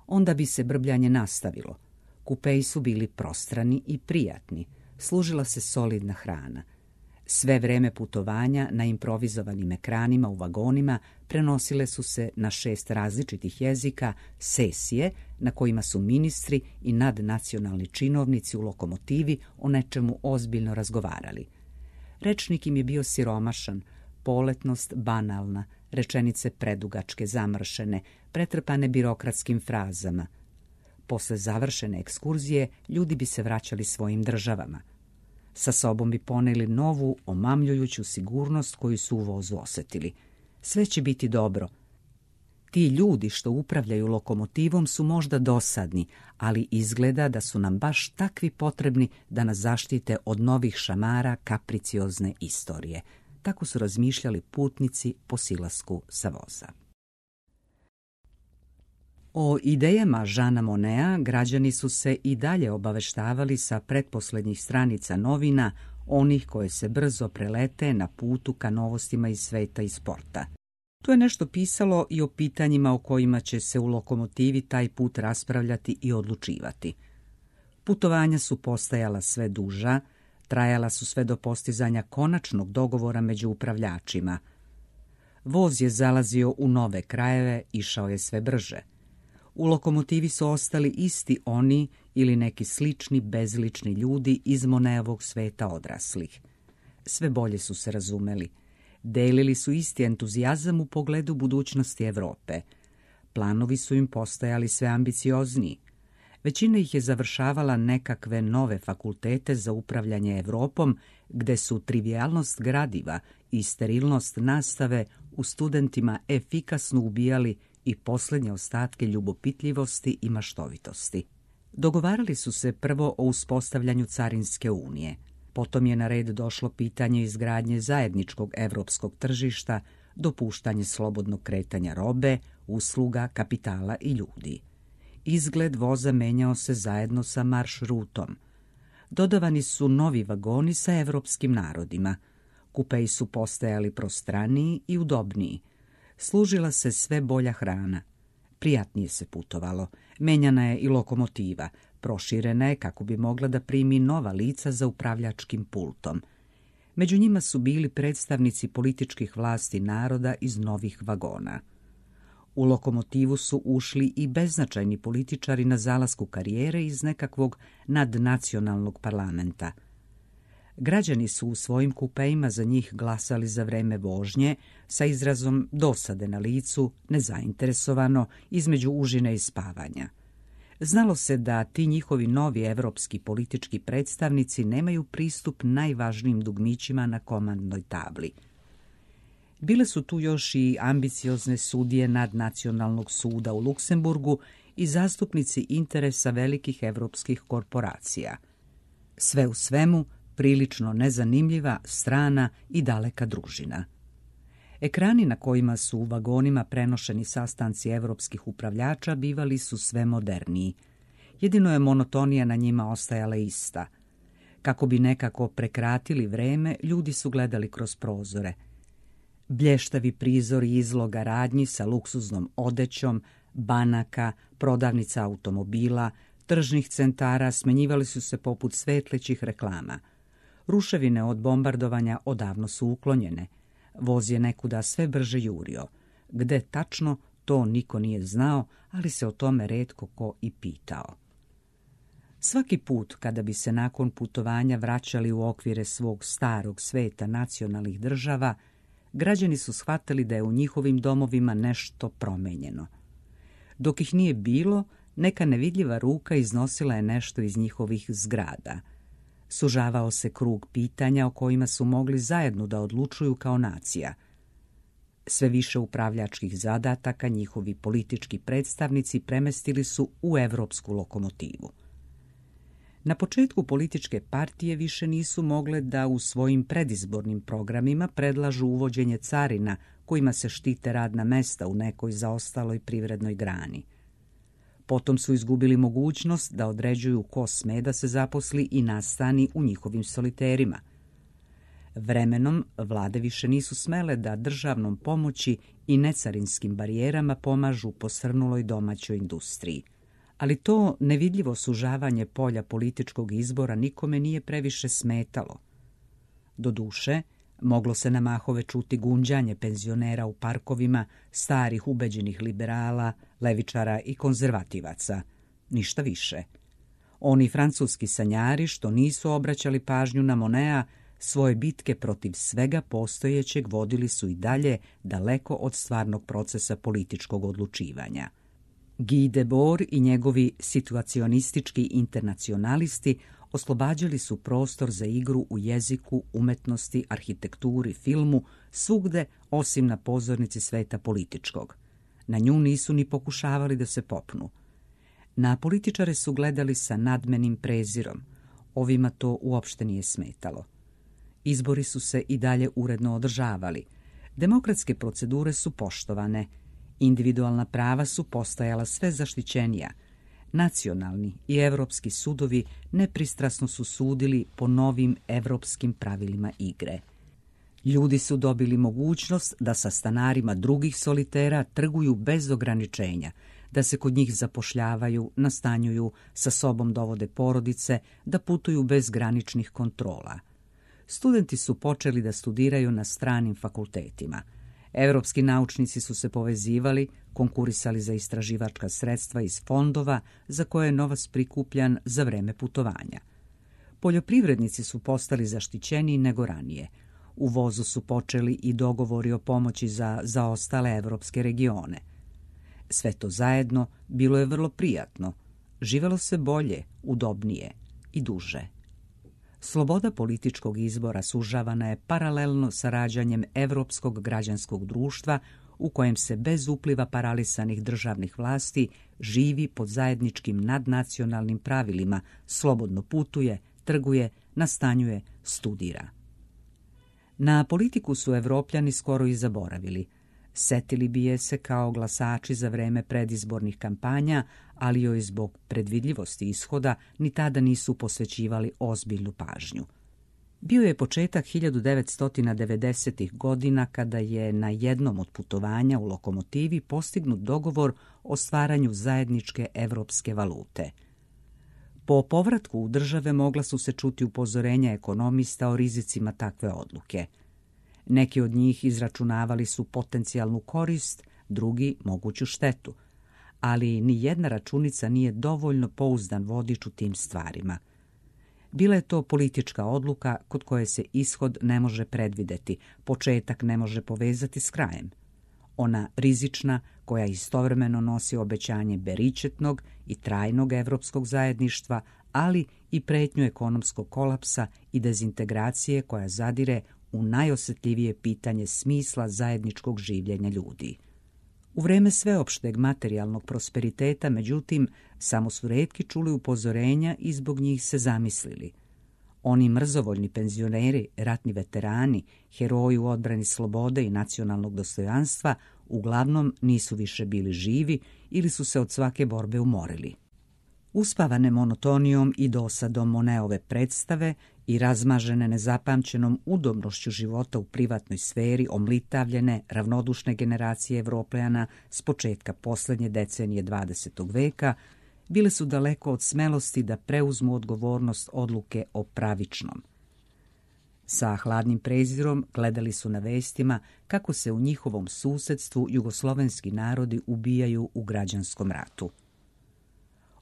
Onda bi se brbljanje nastavilo. Kupeji su bili prostrani i prijatni, služila se solidna hrana. Sve vreme putovanja na improvizovanim ekranima u vagonima prenosile su se na 6 različitih jezika sesije na kojima su ministri i nadnacionalni činovnici u lokomotivi o nečemu ozbiljno razgovarali. Rečnik im je bio siromašan, poletnost banalna, rečenice predugačke, zamršene, pretrpane birokratskim frazama. Posle završene ekskurzije ljudi bi se vraćali svojim državama. Sa sobom bi poneli novu, omamljujuću sigurnost koju su u vozu osjetili. Sve će biti dobro. Ti ljudi što upravljaju lokomotivom su možda dosadni, ali izgleda da su nam baš takvi potrebni da nas zaštite od novih šamara kapriciozne istorije. Tako su razmišljali putnici po silasku sa voza. O idejama Jeana Moneta građani su se i dalje obaveštavali sa pretposlednjih stranica novina, onih koje se brzo prelete na putu ka novostima iz sveta i sporta. Tu je nešto pisalo i o pitanjima o kojima će se u lokomotivi taj put raspravljati i odlučivati. Putovanja su postajala sve duža, trajala su sve do postizanja konačnog dogovora među upravljačima. Voz je zalazio u nove krajeve, išao je sve brže. U lokomotivi su ostali isti oni ili neki slični bezlični ljudi iz Monetovog sveta odraslih. Sve bolje su se razumeli. Delili su isti entuzijazam u pogledu budućnosti Evrope. Planovi su im postajali sve ambiciozniji. Većina ih je završavala nekakve nove fakultete za upravljanje Evropom, gde su trivijalnost gradiva i sterilnost nastave u studentima efikasno ubijali i posljednje ostatke ljubopitljivosti i maštovitosti. Dogovarali su se prvo o uspostavljanju carinske unije. Potom je na red došlo pitanje izgradnje zajedničkog evropskog tržišta, dopuštanje slobodnog kretanja robe, usluga, kapitala i ljudi. Izgled voza menjao se zajedno sa marš rutom. Dodavani su novi vagoni sa evropskim narodima. Kupeji su postajali prostraniji i udobniji. Služila se sve bolja hrana. Prijatnije se putovalo. Menjana je i lokomotiva. Proširena je kako bi mogla da primi nova lica za upravljačkim pultom. Među njima su bili predstavnici političkih vlasti naroda iz novih vagona. U lokomotivu su ušli i beznačajni političari na zalasku karijere iz nekakvog nadnacionalnog parlamenta. Građani su u svojim kupejima za njih glasali za vreme vožnje sa izrazom dosade na licu, nezainteresovano, između užine i spavanja. Znalo se da ti njihovi novi evropski politički predstavnici nemaju pristup najvažnijim dugmićima na komandnoj tabli. Bile su tu još i ambiciozne sudije nadnacionalnog suda u Luksemburgu i zastupnici interesa velikih evropskih korporacija. Sve u svemu, prilično nezanimljiva, strana i daleka družina. Ekrani na kojima su u vagonima prenošeni sastanci evropskih upravljača bivali su sve moderniji. Jedino je monotonija na njima ostajala ista. Kako bi nekako prekratili vreme, ljudi su gledali kroz prozore. Blještavi prizori izloga radnji sa luksuznom odećom, banaka, prodavnica automobila, tržnih centara smenjivali su se poput svetlećih reklama. Ruševine od bombardovanja odavno su uklonjene. Voz je nekuda sve brže jurio. Gde tačno, to niko nije znao, ali se o tome retko ko i pitao. Svaki put kada bi se nakon putovanja vraćali u okvire svog starog sveta nacionalnih država, građani su shvatili da je u njihovim domovima nešto promenjeno. Dok ih nije bilo, neka nevidljiva ruka iznosila je nešto iz njihovih zgrada. Sužavao se krug pitanja o kojima su mogli zajedno da odlučuju kao nacija. Sve više upravljačkih zadataka njihovi politički predstavnici premestili su u evropsku lokomotivu. Na početku političke partije više nisu mogle da u svojim predizbornim programima predlažu uvođenje carina kojima se štite radna mesta u nekoj zaostaloj privrednoj grani. Potom su izgubili mogućnost da određuju ko sme da se zaposli i nastani u njihovim soliterima. Vremenom vlade više nisu smele da državnom pomoći i necarinskim barijerama pomažu posrnuloj domaćoj industriji. Ali to nevidljivo sužavanje polja političkog izbora nikome nije previše smetalo. Doduše, moglo se na mahove čuti gunđanje penzionera u parkovima, starih ubeđenih liberala, levičara i konzervativaca. Ništa više. Oni francuski sanjari što nisu obraćali pažnju na Monea, svoje bitke protiv svega postojećeg vodili su i dalje daleko od stvarnog procesa političkog odlučivanja. Guy Debord i njegovi situacionistički internacionalisti oslobađali su prostor za igru u jeziku, umetnosti, arhitekturi, filmu, svugde osim na pozornici sveta političkog. Na nju nisu ni pokušavali da se popnu. Na političare su gledali sa nadmenim prezirom. Ovima to uopšte nije smetalo. Izbori su se i dalje uredno održavali. Demokratske procedure su poštovane. Individualna prava su postajala sve zaštićenija. Nacionalni i evropski sudovi nepristrasno su sudili po novim evropskim pravilima igre. Ljudi su dobili mogućnost da sa stanarima drugih solitera trguju bez ograničenja, da se kod njih zapošljavaju, nastanjuju, sa sobom dovode porodice, da putuju bez graničnih kontrola. Studenti su počeli da studiraju na stranim fakultetima. Evropski naučnici su se povezivali, konkurisali za istraživačka sredstva iz fondova za koje je novac prikupljan za vreme putovanja. Poljoprivrednici su postali zaštićeniji nego ranije. U vozu su počeli i dogovori o pomoći za zaostale evropske regione. Sve to zajedno bilo je vrlo prijatno. Živelo se bolje, udobnije i duže. Sloboda političkog izbora sužavana je paralelno sa rađanjem evropskog građanskog društva u kojem se bez upliva paralisanih državnih vlasti živi pod zajedničkim nadnacionalnim pravilima, slobodno putuje, trguje, nastanjuje, studira. Na politiku su Evropljani skoro i zaboravili. Setili bi je se kao glasači za vreme predizbornih kampanja, ali joj zbog predvidljivosti ishoda ni tada nisu posvećivali ozbiljnu pažnju. Bio je početak 1990. godina kada je na jednom od putovanja u lokomotivi postignut dogovor o stvaranju zajedničke evropske valute. Po povratku u države mogla su se čuti upozorenja ekonomista o rizicima takve odluke. Neki od njih izračunavali su potencijalnu korist, drugi moguću štetu, ali ni jedna računica nije dovoljno pouzdan vodič u tim stvarima. Bila je to politička odluka kod koje se ishod ne može predvideti, početak ne može povezati s krajem. Ona rizična, koja istovremeno nosi obećanje beričetnog i trajnog evropskog zajedništva, ali i pretnju ekonomskog kolapsa i dezintegracije koja zadire u najosjetljivije pitanje smisla zajedničkog življenja ljudi. U vreme sveopšteg materijalnog prosperiteta, međutim, samo su retki čuli upozorenja i zbog njih se zamislili. Oni mrzovoljni penzioneri, ratni veterani, heroji u odbrani slobode i nacionalnog dostojanstva uglavnom nisu više bili živi ili su se od svake borbe umorili. Uspavane monotonijom i dosadom Moneove predstave i razmažene nezapamćenom udobnošću života u privatnoj sferi omlitavljene, ravnodušne generacije Evropljana s početka posljednje decenije 20. veka bile su daleko od smelosti da preuzmu odgovornost odluke o pravičnom. Sa hladnim prezirom gledali su na vestima kako se u njihovom susedstvu jugoslovenski narodi ubijaju u građanskom ratu.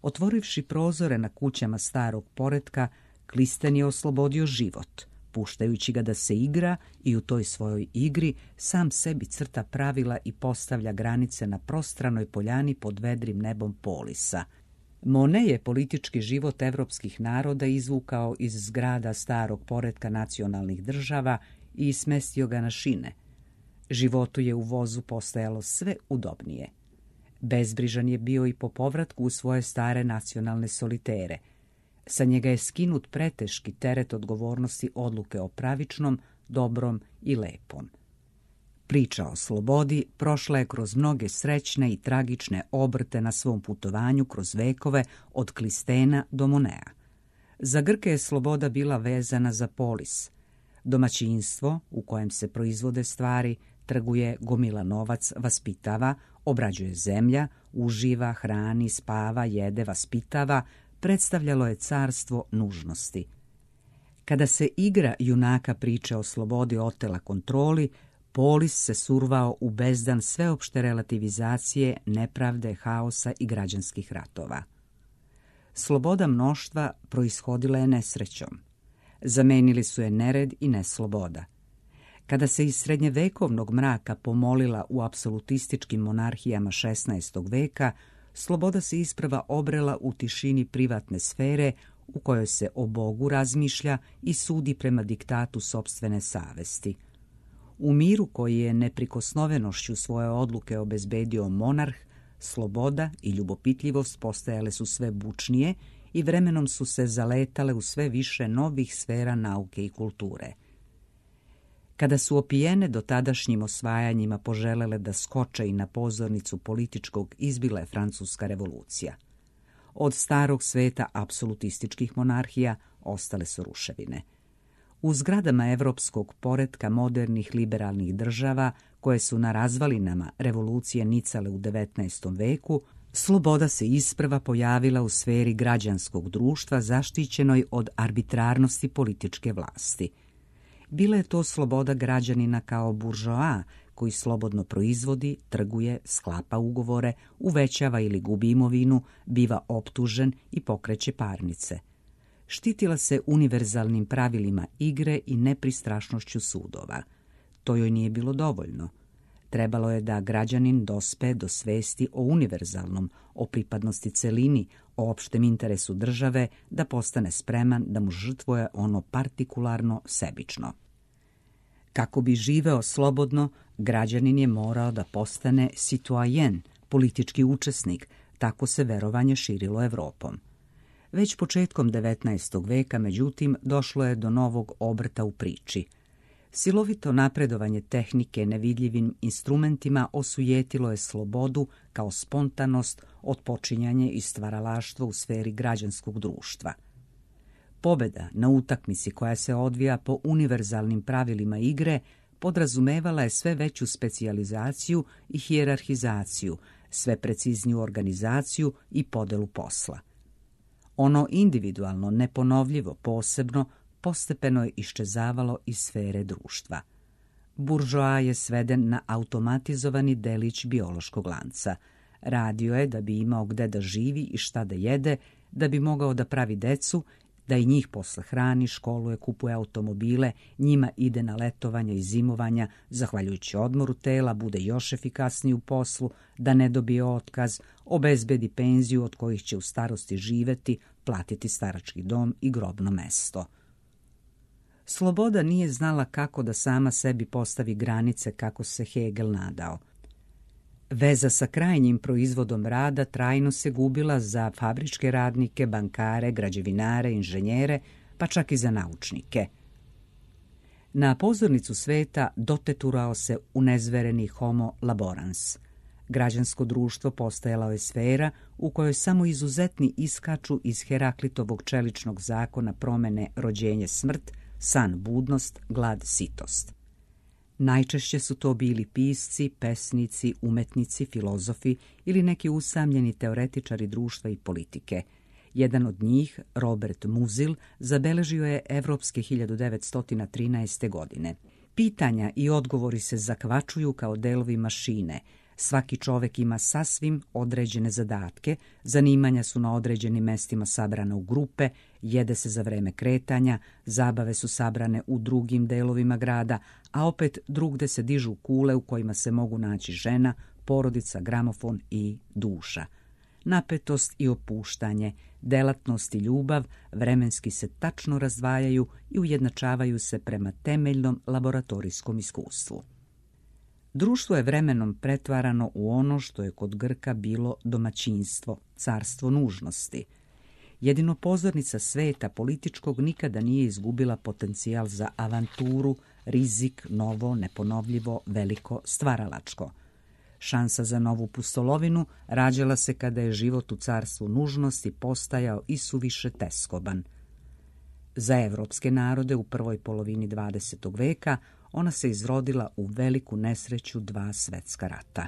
Otvorivši prozore na kućama starog poretka, Klisten je oslobodio život, puštajući ga da se igra i u toj svojoj igri sam sebi crta pravila i postavlja granice na prostranoj poljani pod vedrim nebom Polisa. Monet je politički život evropskih naroda izvukao iz zgrada starog poretka nacionalnih država i smestio ga na šine. Životu je u vozu postajalo sve udobnije. Bezbrižan je bio i po povratku u svoje stare nacionalne solitere. Sa njega je skinut preteški teret odgovornosti odluke o pravičnom, dobrom i lepom. Priča o slobodi prošla je kroz mnoge srećne i tragične obrte na svom putovanju kroz vekove od Klistena do Monea. Za Grke je sloboda bila vezana za polis. Domaćinstvo u kojem se proizvode stvari, trguje, gomila novac, vaspitava, obrađuje zemlja, uživa, hrani, spava, jede, vaspitava, predstavljalo je carstvo nužnosti. Kada se igra junaka priče o slobodi otela kontroli, polis se survao u bezdan sveopšte relativizacije, nepravde, haosa i građanskih ratova. Sloboda mnoštva proishodila je nesrećom. Zamenili su je nered i nesloboda. Kada se iz srednjevekovnog mraka pomolila u apsolutističkim monarhijama 16. veka, sloboda se isprva obrela u tišini privatne sfere u kojoj se o Bogu razmišlja i sudi prema diktatu sopstvene savesti. U miru koji je neprikosnovenošću svoje odluke obezbedio monarh, sloboda i ljubopitljivost postajale su sve bučnije i vremenom su se zaletale u sve više novih sfera nauke i kulture. Kada su opijene dotadašnjim osvajanjima poželele da skoče i na pozornicu političkog, izbila je Francuska revolucija. Od starog sveta apsolutističkih monarhija ostale su ruševine. U zgradama evropskog poretka modernih liberalnih država, koje su na razvalinama revolucije nicale u 19. veku, sloboda se isprva pojavila u sferi građanskog društva zaštićenoj od arbitrarnosti političke vlasti. Bila je to sloboda građanina kao buržoa, koji slobodno proizvodi, trguje, sklapa ugovore, uvećava ili gubi imovinu, biva optužen i pokreće parnice. Štitila se univerzalnim pravilima igre i nepristrašnošću sudova. To joj nije bilo dovoljno. Trebalo je da građanin dospe do svesti o univerzalnom, o pripadnosti celini, o opštem interesu države, da postane spreman da mu žrtvuje ono partikularno sebično. Kako bi živeo slobodno, građanin je morao da postane citoyen, politički učesnik, tako se verovanje širilo Evropom. Već početkom 19. veka, međutim, došlo je do novog obrta u priči. Silovito napredovanje tehnike nevidljivim instrumentima osujetilo je slobodu kao spontanost, otpočinjanje i stvaralaštvo u sferi građanskog društva. Pobeda na utakmici koja se odvija po univerzalnim pravilima igre podrazumevala je sve veću specijalizaciju i hijerarhizaciju, sve precizniju organizaciju i podelu posla. Ono individualno, neponovljivo, posebno, postepeno je iščezavalo iz sfere društva. Buržoa je sveden na automatizovani delić biološkog lanca. Radio je da bi imao gde da živi i šta da jede, da bi mogao da pravi decu, da i njih posle hrani, školuje, kupuje automobile, njima ide na letovanja i zimovanja, zahvaljujući odmoru tela, bude još efikasniji u poslu, da ne dobije otkaz, obezbedi penziju od kojih će u starosti živeti, platiti starački dom i grobno mesto. Sloboda nije znala kako da sama sebi postavi granice kako se Hegel nadao. Veza sa krajnjim proizvodom rada trajno se gubila za fabričke radnike, bankare, građevinare, inženjere, pa čak i za naučnike. Na pozornicu sveta doteturao se unezvereni homo laborans. Građansko društvo postajalo je sfera u kojoj samo izuzetni iskaču iz Heraklitovog čeličnog zakona promene rođenje smrt, san budnost, glad sitost. Najčešće su to bili pisci, pesnici, umetnici, filozofi ili neki usamljeni teoretičari društva i politike. Jedan od njih, Robert Musil, zabeležio je evropske 1913. godine. Pitanja i odgovori se zakvačuju kao delovi mašine. Svaki čovek ima sasvim određene zadatke, zanimanja su na određenim mestima sabrana u grupe, jede se za vreme kretanja, zabave su sabrane u drugim delovima grada, a opet drugde se dižu kule u kojima se mogu naći žena, porodica, gramofon i duša. Napetost i opuštanje, delatnost i ljubav vremenski se tačno razdvajaju i ujednačavaju se prema temeljnom laboratorijskom iskustvu. Društvo je vremenom pretvarano u ono što je kod Grka bilo domaćinstvo, carstvo nužnosti. Jedino pozornica sveta političkog nikada nije izgubila potencijal za avanturu, rizik, novo, neponovljivo, veliko, stvaralačko. Šansa za novu pustolovinu rađala se kada je život u carstvu nužnosti postajao isuviše teskoban. Za evropske narode u prvoj polovini 20. veka ona se izrodila u veliku nesreću 2 svetska rata.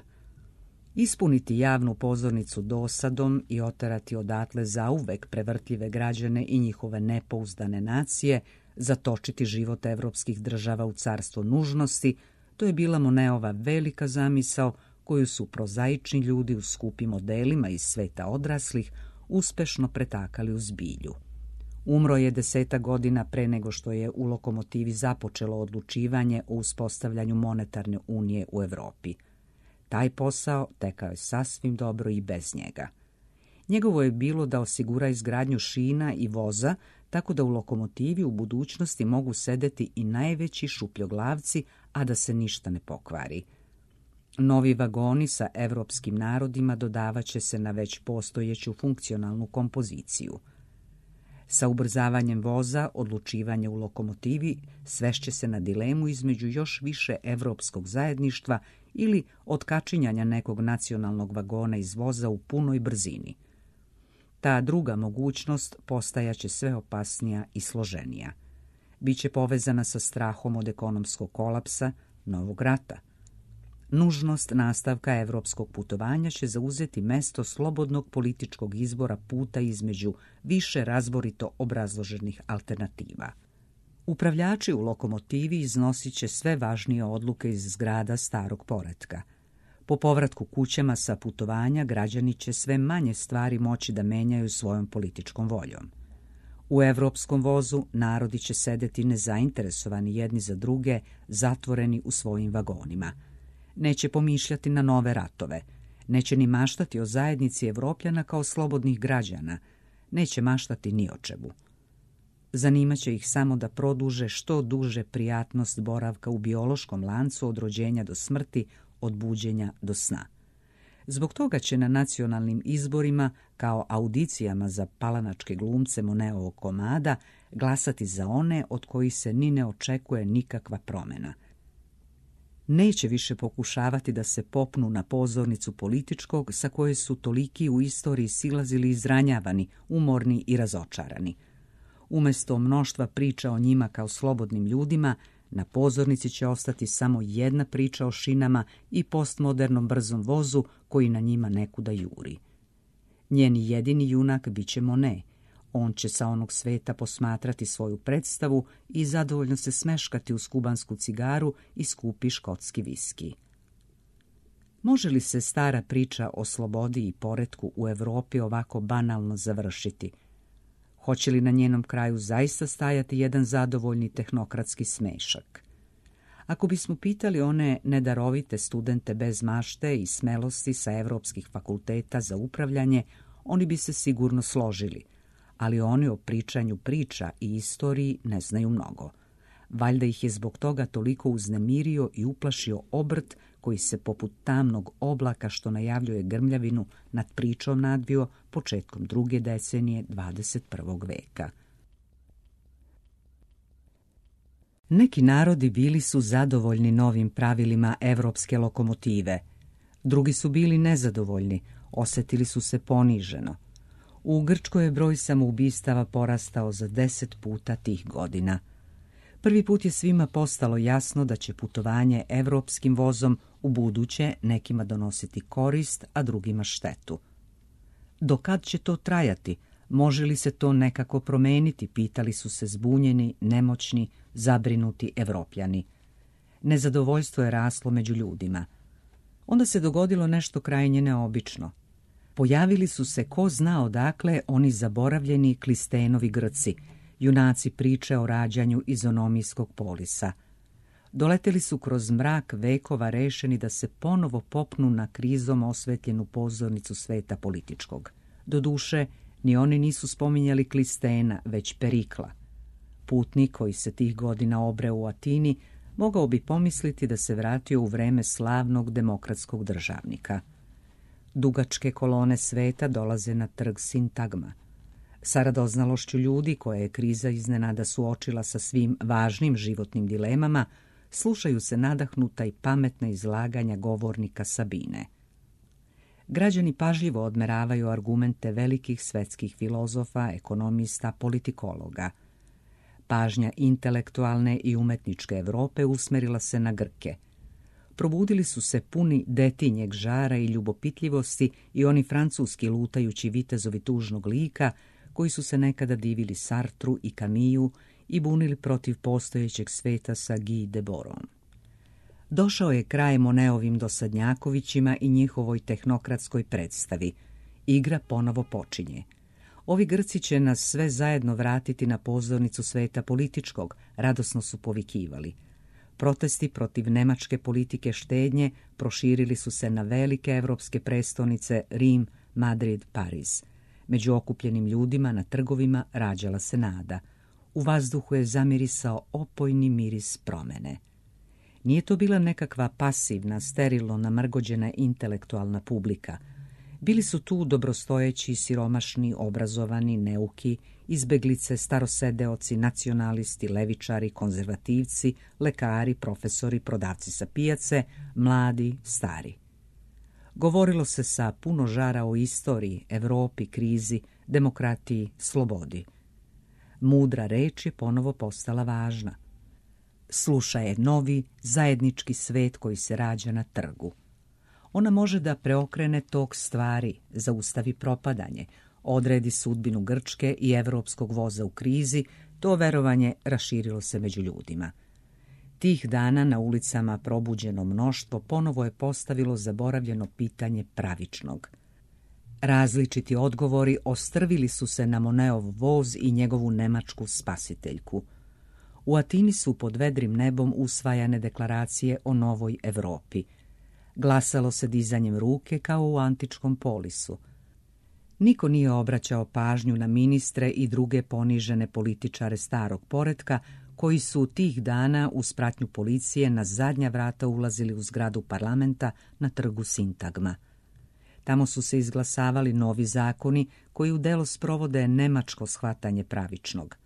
Ispuniti javnu pozornicu dosadom i oterati odatle zauvek prevrtljive građane i njihove nepouzdane nacije, zatočiti život evropskih država u carstvo nužnosti, to je bila Moneova velika zamisao koju su prozaični ljudi u skupim modelima iz sveta odraslih uspešno pretakali u zbilju. Umro je 10 godina pre nego što je u Lokomotivi započelo odlučivanje o uspostavljanju monetarne unije u Evropi. Taj posao tekao je sasvim dobro i bez njega. Njegovo je bilo da osigura izgradnju šina i voza, tako da u lokomotivi u budućnosti mogu sedeti i najveći šupljoglavci, a da se ništa ne pokvari. Novi vagoni sa evropskim narodima dodavaće se na već postojeću funkcionalnu kompoziciju. Sa ubrzavanjem voza, odlučivanje u lokomotivi svešće se na dilemu između još više evropskog zajedništva ili otkačinjanja nekog nacionalnog vagona iz voza u punoj brzini. Ta druga mogućnost postajaće sve opasnija i složenija. Biće povezana sa strahom od ekonomskog kolapsa, novog rata. Nužnost nastavka evropskog putovanja će zauzeti mesto slobodnog političkog izbora puta između više razborito obrazloženih alternativa. Upravljači u lokomotivi iznosit će sve važnije odluke iz zgrada starog poretka. Po povratku kućama sa putovanja građani će sve manje stvari moći da menjaju svojom političkom voljom. U evropskom vozu narodi će sedeti nezainteresovani jedni za druge, zatvoreni u svojim vagonima. Neće pomišljati na nove ratove, neće ni maštati o zajednici Evropljana kao slobodnih građana, neće maštati ni o čemu. Zanimaće ih samo da produže što duže prijatnost boravka u biološkom lancu od rođenja do smrti, od buđenja do sna. Zbog toga će na nacionalnim izborima, kao audicijama za palanačke glumce Moneovog komada, glasati za one od kojih se ni ne očekuje nikakva promjena. Neće više pokušavati da se popnu na pozornicu političkog sa koje su toliki u istoriji silazili izranjavani, umorni i razočarani. Umjesto mnoštva priča o njima kao slobodnim ljudima, na pozornici će ostati samo jedna priča o šinama i postmodernom brzom vozu koji na njima nekuda juri. Njeni jedini junak bit će Monet. On će sa onog sveta posmatrati svoju predstavu i zadovoljno se smeškati uz kubansku cigaru i skupi škotski viski. Može li se stara priča o slobodi i poretku u Evropi ovako banalno završiti? Hoće li na njenom kraju zaista stajati jedan zadovoljni tehnokratski smešak? Ako bismo pitali one nedarovite studente bez mašte i smelosti sa evropskih fakulteta za upravljanje, oni bi se sigurno složili, ali oni o pričanju priča i istoriji ne znaju mnogo. Valjda ih je zbog toga toliko uznemirio i uplašio obrt koji se poput tamnog oblaka što najavljuje grmljavinu nad pričom nadvio početkom druge decenije 21. veka. Neki narodi bili su zadovoljni novim pravilima evropske lokomotive. Drugi su bili nezadovoljni, osjetili su se poniženo. U Grčkoj je broj samoubistava porastao za 10 puta tih godina. Prvi put je svima postalo jasno da će putovanje evropskim vozom u buduće nekima donositi korist, a drugima štetu. Do kad će to trajati? Može li se to nekako promeniti? Pitali su se zbunjeni, nemoćni, zabrinuti Evropljani. Nezadovoljstvo je raslo među ljudima. Onda se dogodilo nešto krajnje neobično. Pojavili su se ko zna odakle oni zaboravljeni Klistenovi Grci, junaci priče o rađanju izonomijskog polisa. Doleteli su kroz mrak vekova rešeni da se ponovo popnu na krizom osvetljenu pozornicu sveta političkog. Doduše, ni oni nisu spominjali Klistena, već Perikla. Putnik koji se tih godina obreo u Atini mogao bi pomisliti da se vratio u vreme slavnog demokratskog državnika. Dugačke kolone sveta dolaze na trg Sintagma. Sa radoznalošću ljudi koje je kriza iznenada suočila sa svim važnim životnim dilemama, slušaju se nadahnuta i pametna izlaganja govornika Sabine. Građani pažljivo odmeravaju argumente velikih svetskih filozofa, ekonomista, politikologa. Pažnja intelektualne i umetničke Evrope usmerila se na Grke. Probudili su se puni detinjeg žara i ljubopitljivosti i oni francuski lutajući vitezovi tužnog lika koji su se nekada divili Sartru i Camillesu i bunili protiv postojećeg sveta sa Guy Debordom. Došao je kraj Moneovim dosadnjakovićima i njihovoj tehnokratskoj predstavi. Igra ponovo počinje. Ovi Grci će nas sve zajedno vratiti na pozornicu sveta političkog, radosno su povikivali. Protesti protiv nemačke politike štednje proširili su se na velike evropske prestonice Rim, Madrid, Pariz. Među okupljenim ljudima na trgovima rađala se nada. U vazduhu je zamirisao opojni miris promene. Nije to bila nekakva pasivna, sterilno namrgođena intelektualna publika. Bili su tu dobrostojeći, siromašni, obrazovani, neuki, izbeglice, starosedeoci, nacionalisti, levičari, konzervativci, lekari, profesori, prodavci sa pijace, mladi, stari. Govorilo se sa puno žara o istoriji, Evropi, krizi, demokratiji, slobodi. Mudra reč je ponovo postala važna. Sluša je novi, zajednički svet koji se rađa na trgu. Ona može da preokrene tok stvari, zaustavi propadanje, odredi sudbinu Grčke i evropskog voza u krizi, to verovanje raširilo se među ljudima. Tih dana na ulicama probuđeno mnoštvo ponovo je postavilo zaboravljeno pitanje pravičnog. Različiti odgovori ostrvili su se na Moneov voz i njegovu nemačku spasiteljku. U Atini su pod vedrim nebom usvajane deklaracije o novoj Evropi. Glasalo se dizanjem ruke kao u antičkom polisu. Niko nije obraćao pažnju na ministre i druge ponižene političare starog poretka koji su tih dana uz pratnju policije na zadnja vrata ulazili u zgradu parlamenta na trgu Sintagma. Tamo su se izglasavali novi zakoni koji u delo sprovode nemačko shvatanje pravičnog.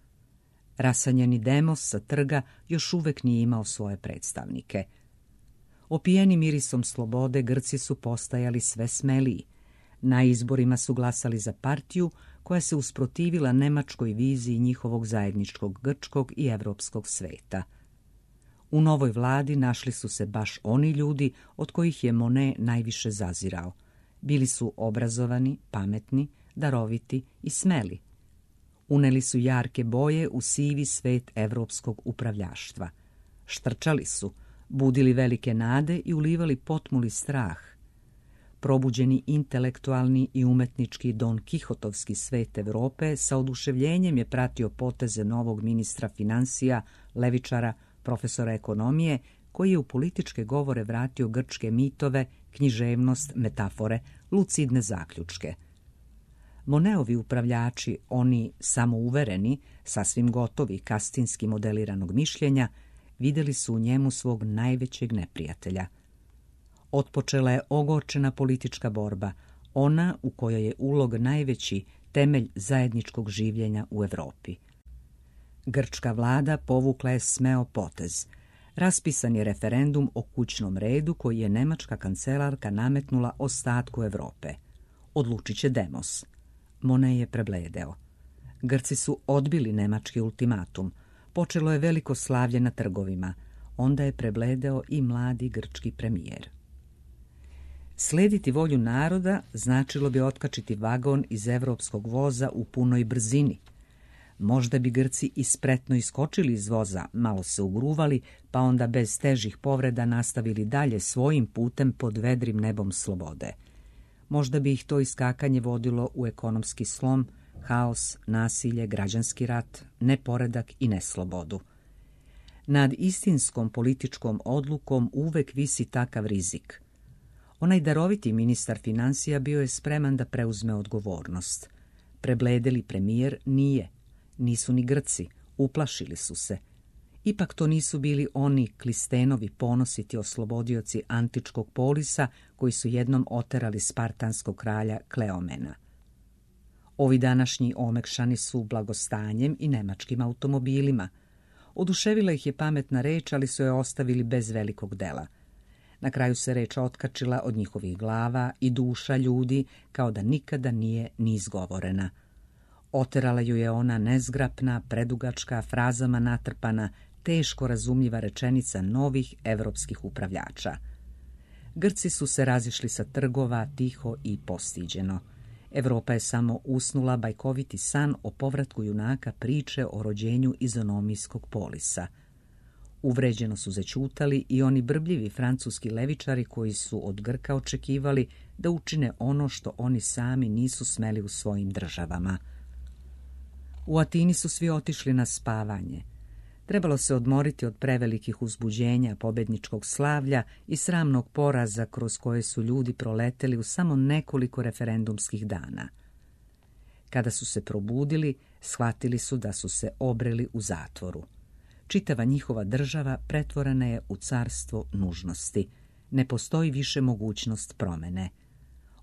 Rasanjeni demos sa trga još uvek nije imao svoje predstavnike. Opijeni mirisom slobode, Grci su postajali sve smeliji. Na izborima su glasali za partiju koja se usprotivila nemačkoj viziji njihovog zajedničkog grčkog i evropskog sveta. U novoj vladi našli su se baš oni ljudi od kojih je Monet najviše zazirao. Bili su obrazovani, pametni, daroviti i smeli. Uneli su jarke boje u sivi svet evropskog upravljaštva. Štrčali su, budili velike nade i ulivali potmuli strah. Probuđeni intelektualni i umetnički Don Kihotovski svet Evrope sa oduševljenjem je pratio poteze novog ministra finansija, levičara, profesora ekonomije, koji je u političke govore vratio grčke mitove, književnost, metafore, lucidne zaključke. Moneovi upravljači, oni samouvereni, sasvim gotovi, kastinski modeliranog mišljenja, vidjeli su u njemu svog najvećeg neprijatelja. Otpočela je ogorčena politička borba, ona u kojoj je ulog najveći temelj zajedničkog življenja u Evropi. Grčka vlada povukla je smeo potez. Raspisan je referendum o kućnom redu koji je nemačka kancelarka nametnula ostatku Evrope. Odlučit će demos. Monet je prebledeo. Grci su odbili nemački ultimatum. Počelo je veliko slavlje na trgovima. Onda je prebledeo i mladi grčki premijer. Slediti volju naroda značilo bi otkačiti vagon iz evropskog voza u punoj brzini. možda bi Grci i spretno iskočili iz voza, malo se ugruvali, pa onda bez težih povreda nastavili dalje svojim putem pod vedrim nebom slobode. Možda bi ih to iskakanje vodilo u ekonomski slom, haos, nasilje, građanski rat, neporedak i neslobodu. Nad istinskom političkom odlukom uvek visi takav rizik. Onaj daroviti ministar financija bio je spreman da preuzme odgovornost. Prebledeli premijer nije. Nisu ni Grci, uplašili su se. Ipak to nisu bili oni Klistenovi ponositi oslobodioci antičkog polisa koji su jednom oterali spartanskog kralja Kleomena. Ovi današnji omekšani su blagostanjem i nemačkim automobilima. Oduševila ih je pametna reč, ali su je ostavili bez velikog dela. Na kraju se reč otkačila od njihovih glava i duša ljudi kao da nikada nije ni izgovorena. Oterala ju je ona nezgrapna, predugačka, frazama natrpana, teško razumljiva rečenica novih evropskih upravljača. Grci su se razišli sa trgova tiho i postiđeno. Evropa je samo usnula bajkoviti san o povratku junaka priče o rođenju izonomijskog polisa. Uvređeno su zaćutali i oni brbljivi francuski levičari koji su od Grka očekivali da učine ono što oni sami nisu smeli u svojim državama. U Atini su svi otišli na spavanje. Trebalo se odmoriti od prevelikih uzbuđenja, pobedničkog slavlja i sramnog poraza kroz koje su ljudi proleteli u samo nekoliko referendumskih dana. Kada su se probudili, shvatili su da su se obreli u zatvoru. Čitava njihova država pretvorena je u carstvo nužnosti. Ne postoji više mogućnost promene.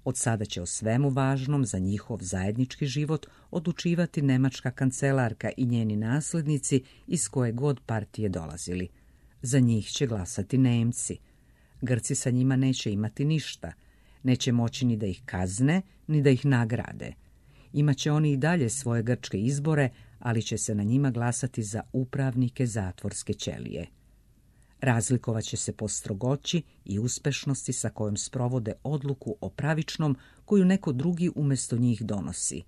Od sada će o svemu važnom za njihov zajednički život odlučivati nemačka kancelarka i njeni naslednici iz koje god partije dolazili. Za njih će glasati Nemci. Grci sa njima neće imati ništa. Neće moći ni da ih kazne, ni da ih nagrade. Imaće oni i dalje svoje grčke izbore, ali će se na njima glasati za upravnike zatvorske ćelije. Razlikovaće se po strogoći i uspešnosti sa kojom sprovode odluku o pravičnom koju neko drugi umjesto njih donosi.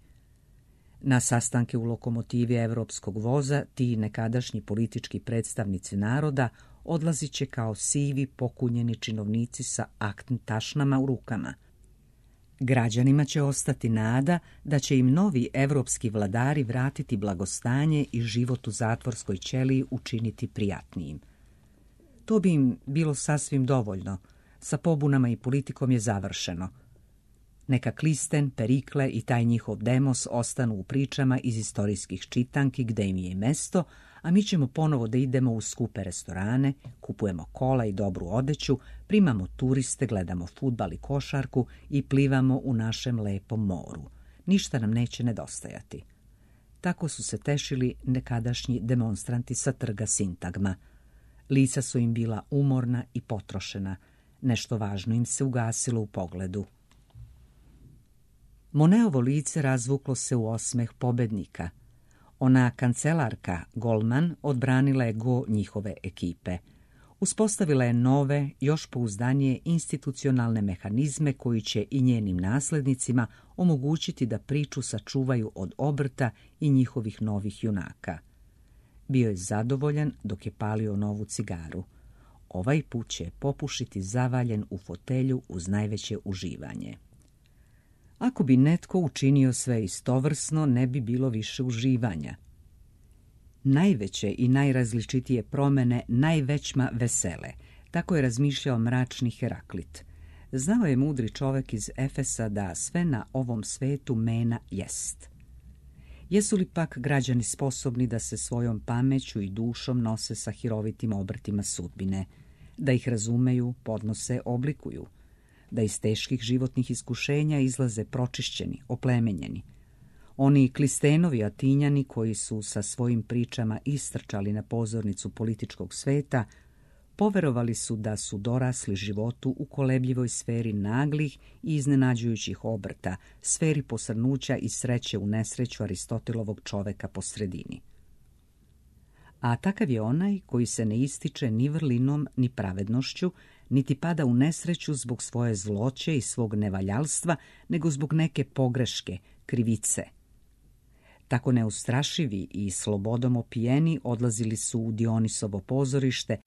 Na sastanke u lokomotivi evropskog voza ti nekadašnji politički predstavnici naroda odlazit će kao sivi pokunjeni činovnici sa aktn tašnama u rukama. Građanima će ostati nada da će im novi evropski vladari vratiti blagostanje i život u zatvorskoj ćeliji učiniti prijatnijim. To bi im bilo sasvim dovoljno. Sa pobunama i politikom je završeno. Neka Klisten, Perikle i taj njihov Demos ostanu u pričama iz istorijskih čitanki gde im je i mesto, a mi ćemo ponovo da idemo u skupe restorane, kupujemo kola i dobru odeću, primamo turiste, gledamo fudbal i košarku i plivamo u našem lepom moru. Ništa nam neće nedostajati. Tako su se tešili nekadašnji demonstranti sa trga Sintagma. Lica su im bila umorna i potrošena. Nešto važno im se ugasilo u pogledu. Moneovo lice razvuklo se u osmeh pobednika. Ona kancelarka, Golman, odbranila je go njihove ekipe. Uspostavila je nove, još pouzdanije institucionalne mehanizme koji će i njenim naslednicima omogućiti da priču sačuvaju od obrta i njihovih novih junaka. Bio je zadovoljan dok je palio novu cigaru. Ovaj put će popušiti zavaljen u fotelju uz najveće uživanje. Ako bi netko učinio sve istovrsno, ne bi bilo više uživanja. Najveće i najrazličitije promene najvećma vesele, tako je razmišljao mračni Heraklit. Znao je mudri čovek iz Efesa da sve na ovom svetu mena jest. Jesu li pak građani sposobni da se svojom pameću i dušom nose sa hirovitim obrtima sudbine, da ih razumeju, podnose, oblikuju, da iz teških životnih iskušenja izlaze pročišćeni, oplemenjeni? Oni Klistenovi Atinjani koji su sa svojim pričama istrčali na pozornicu političkog sveta, poverovali su da su dorasli životu u kolebljivoj sferi naglih i iznenađujućih obrta, sferi posrnuća i sreće u nesreću Aristotelovog čoveka po sredini. A takav je onaj koji se ne ističe ni vrlinom, ni pravednošću, niti pada u nesreću zbog svoje zloće i svog nevaljalstva, nego zbog neke pogreške, krivice. Tako neustrašivi i slobodom opijeni odlazili su u Dionisovo pozorište,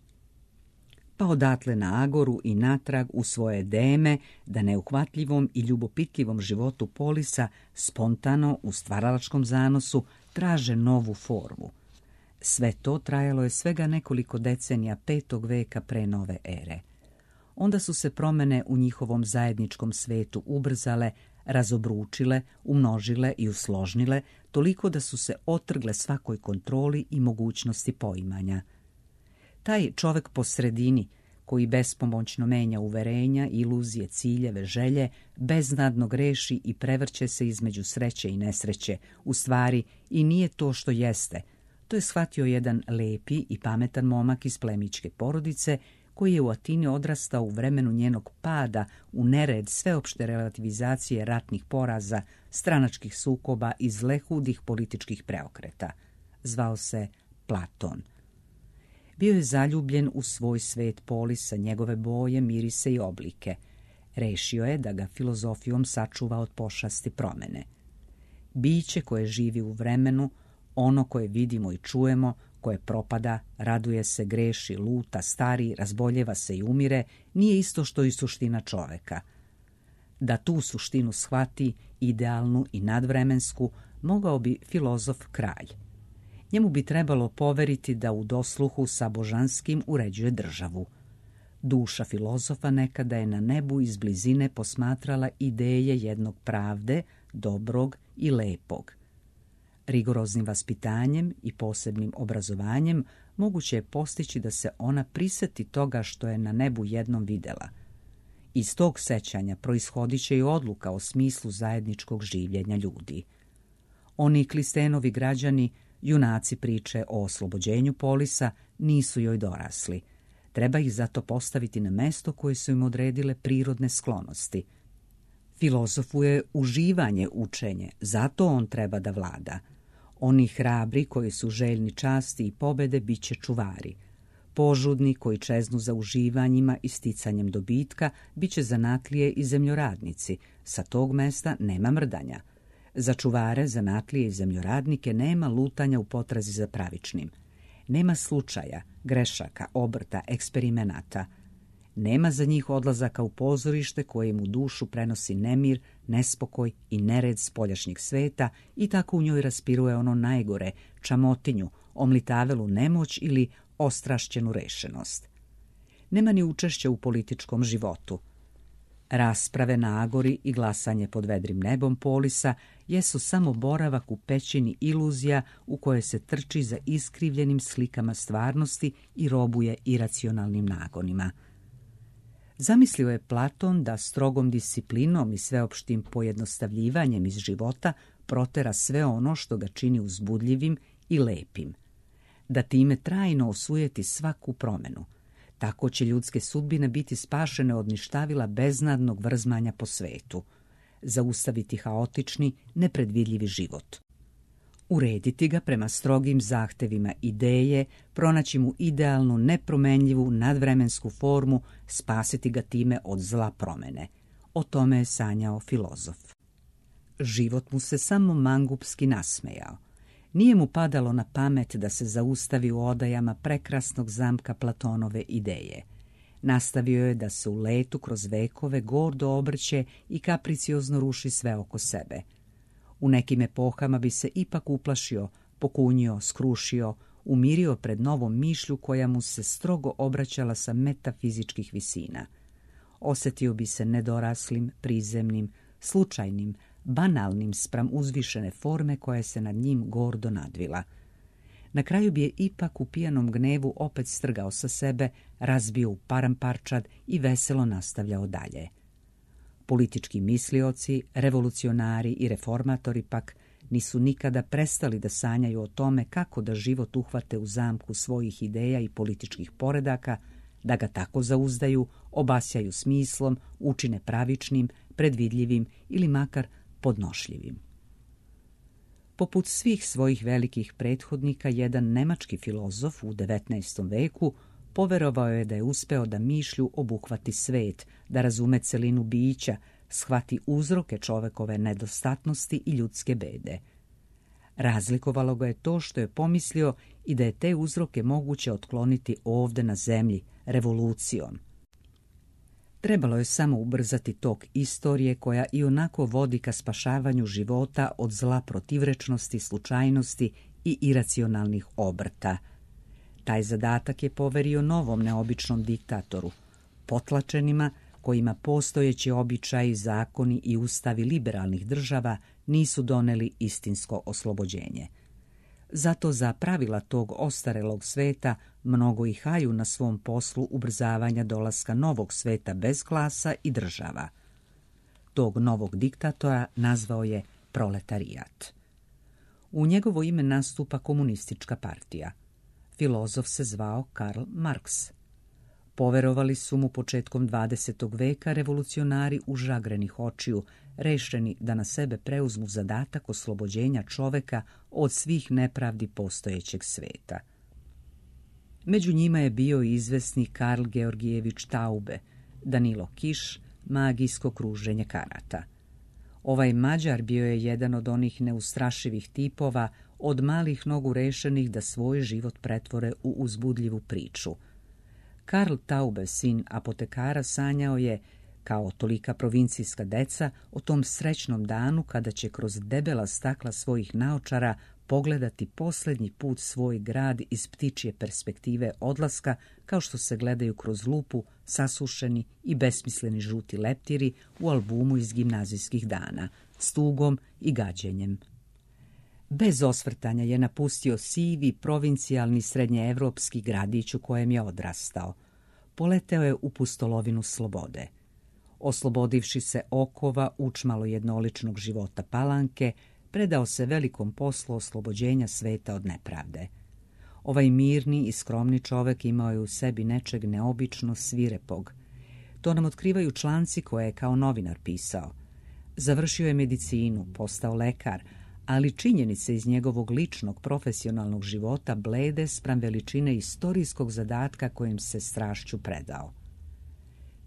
pa odatle na Agoru i natrag u svoje deme, da neuhvatljivom i ljubopitljivom životu Polisa spontano u stvaralačkom zanosu traže novu formu. Sve to trajalo je svega nekoliko decenija 5. veka pre nove ere. Onda su se promene u njihovom zajedničkom svetu ubrzale, razobručile, umnožile i usložnile, toliko da su se otrgle svakoj kontroli i mogućnosti poimanja. Taj čovek po sredini, koji bespomoćno menja uverenja, iluzije, ciljeve, želje, beznadno greši i prevrće se između sreće i nesreće, u stvari i nije to što jeste. To je shvatio jedan lepi i pametan momak iz plemićke porodice, koji je u Atini odrastao u vremenu njenog pada u nered sveopšte relativizacije ratnih poraza, stranačkih sukoba i zlehudih političkih preokreta. Zvao se Platon. Bio je zaljubljen u svoj svet Polisa, njegove boje, mirise i oblike. Rešio je da ga filozofijom sačuva od pošasti promene. Biće koje živi u vremenu, ono koje vidimo i čujemo, koje propada, raduje se, greši, luta, stari, razboljeva se i umire, nije isto što i suština čoveka. Da tu suštinu shvati, idealnu i nadvremensku, mogao bi filozof Kralj. Njemu bi trebalo poveriti da u dosluhu sa božanskim uređuje državu. Duša filozofa nekada je na nebu iz blizine posmatrala ideje jednog pravde, dobrog i lepog. Rigoroznim vaspitanjem i posebnim obrazovanjem moguće je postići da se ona priseti toga što je na nebu jednom videla. Iz tog sećanja proishodit će i odluka o smislu zajedničkog življenja ljudi. Oni Klistenovi građani, junaci priče o oslobođenju Polisa, nisu joj dorasli. Treba ih zato postaviti na mesto koje su im odredile prirodne sklonosti. Filozofu je uživanje učenje, zato on treba da vlada. Oni hrabri koji su željni časti i pobede bit će čuvari. Požudni koji čeznu za uživanjima i sticanjem dobitka bit će zanatlije i zemljoradnici. Sa tog mesta nema mrdanja. Za čuvare, zanatlije i zemljoradnike nema lutanja u potrazi za pravičnim. Nema slučaja, grešaka, obrta, eksperimenata. Nema za njih odlazaka u pozorište koje im u dušu prenosi nemir, nespokoj i nered spoljašnjeg sveta i tako u njoj raspiruje ono najgore, čamotinju, omlitavelu nemoć ili ostrašćenu rešenost. Nema ni učešća u političkom životu. Rasprave na Agori i glasanje pod vedrim nebom Polisa jesu samo boravak u pećini iluzija u koje se trči za iskrivljenim slikama stvarnosti i robuje iracionalnim nagonima. Zamislio je Platon da strogom disciplinom i sveopštim pojednostavljivanjem iz života protera sve ono što ga čini uzbudljivim i lepim. Da time trajno osujeti svaku promenu. Tako će ljudske sudbine biti spašene od ništavila beznadnog vrzmanja po svetu. Zaustaviti haotični, nepredvidljivi život. Urediti ga prema strogim zahtevima ideje, pronaći mu idealnu, nepromenljivu, nadvremensku formu, spasiti ga time od zla promene. O tome je sanjao filozof. Život mu se samo mangupski nasmejao. Nije mu padalo na pamet da se zaustavi u odajama prekrasnog zamka Platonove ideje. Nastavio je da se u letu kroz vekove gordo obrće i kapriciozno ruši sve oko sebe. U nekim epohama bi se ipak uplašio, pokunjio, skrušio, umirio pred novom mišlju koja mu se strogo obraćala sa metafizičkih visina. Osjetio bi se nedoraslim, prizemnim, slučajnim, banalnim spram uzvišene forme koja se nad njim gordo nadvila. Na kraju bi je ipak u pijanom gnevu opet strgao sa sebe, razbio u paramparčad i veselo nastavljao dalje. Politički mislioci, revolucionari i reformatori pak nisu nikada prestali da sanjaju o tome kako da život uhvate u zamku svojih ideja i političkih poredaka, da ga tako zauzdaju, obasjaju smislom, učine pravičnim, predvidljivim ili makar podnošljivim. Poput svih svojih velikih prethodnika, jedan nemački filozof u 19. veku poverovao je da je uspeo da mišlju obuhvati svet, da razume celinu bića, shvati uzroke čovekove nedostatnosti i ljudske bede. Razlikovalo ga je to što je pomislio i da je te uzroke moguće otkloniti ovdje na zemlji, revolucijom. Trebalo je samo ubrzati tok istorije koja i onako vodi ka spašavanju života od zla protivrečnosti, slučajnosti i iracionalnih obrta. Taj zadatak je poverio novom neobičnom diktatoru, potlačenima kojima postojeći običaji, zakoni i ustavi liberalnih država nisu doneli istinsko oslobođenje. Zato za pravila tog ostarelog sveta mnogo ih haju na svom poslu ubrzavanja dolaska novog sveta bez klasa i država. Tog novog diktatora nazvao je proletarijat. U njegovo ime nastupa komunistička partija. Filozof se zvao Karl Marx. Poverovali su mu početkom 20. veka revolucionari užagrenih očiju, rešeni da na sebe preuzmu zadatak oslobođenja čoveka od svih nepravdi postojećeg sveta. Među njima je bio i izvesni Karl Georgijević Taube, Danilo Kiš, magijsko kruženje karata. Ovaj Mađar bio je jedan od onih neustrašivih tipova, od malih nogu rešenih da svoj život pretvore u uzbudljivu priču. Karl Taube, sin apotekara, sanjao je, kao tolika provincijska deca, o tom srećnom danu kada će kroz debela stakla svojih naočara pogledati posljednji put svoj grad iz ptičje perspektive odlaska, kao što se gledaju kroz lupu sasušeni i besmisleni žuti leptiri u albumu iz gimnazijskih dana, s tugom i gađenjem. Bez osvrtanja je napustio sivi, provincijalni srednjeevropski gradić u kojem je odrastao. Poleteo je u pustolovinu slobode. Oslobodivši se okova učmalo jednoličnog života Palanke, predao se velikom poslu oslobođenja sveta od nepravde. Ovaj mirni i skromni čovek imao je u sebi nečeg neobično svirepog. To nam otkrivaju članci koje je kao novinar pisao. Završio je medicinu, postao lekar, ali činjenice iz njegovog ličnog profesionalnog života blede spram veličine istorijskog zadatka kojim se strašću predao.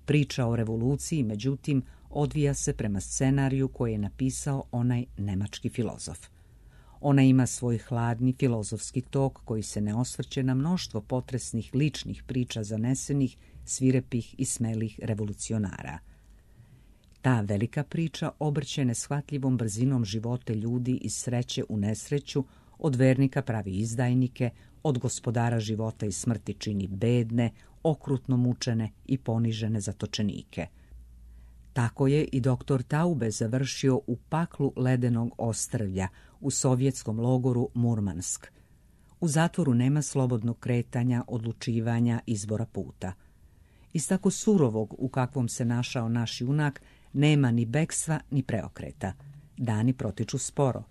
Priča o revoluciji, međutim, odvija se prema scenariju koji je napisao onaj nemački filozof. Ona ima svoj hladni filozofski tok koji se ne osvrće na mnoštvo potresnih ličnih priča zanesenih, svirepih i smelih revolucionara. Ta velika priča obrće neshvatljivom brzinom živote ljudi iz sreće u nesreću, od vernika pravi izdajnike, od gospodara života i smrti čini bedne, okrutno mučene i ponižene zatočenike. Tako je i doktor Taube završio u paklu ledenog ostrvlja u sovjetskom logoru Murmansk. U zatvoru nema slobodnog kretanja, odlučivanja, izbora puta. Iz tako surovog u kakvom se našao naš junak nema ni bekstva ni preokreta. Dani protiču sporo,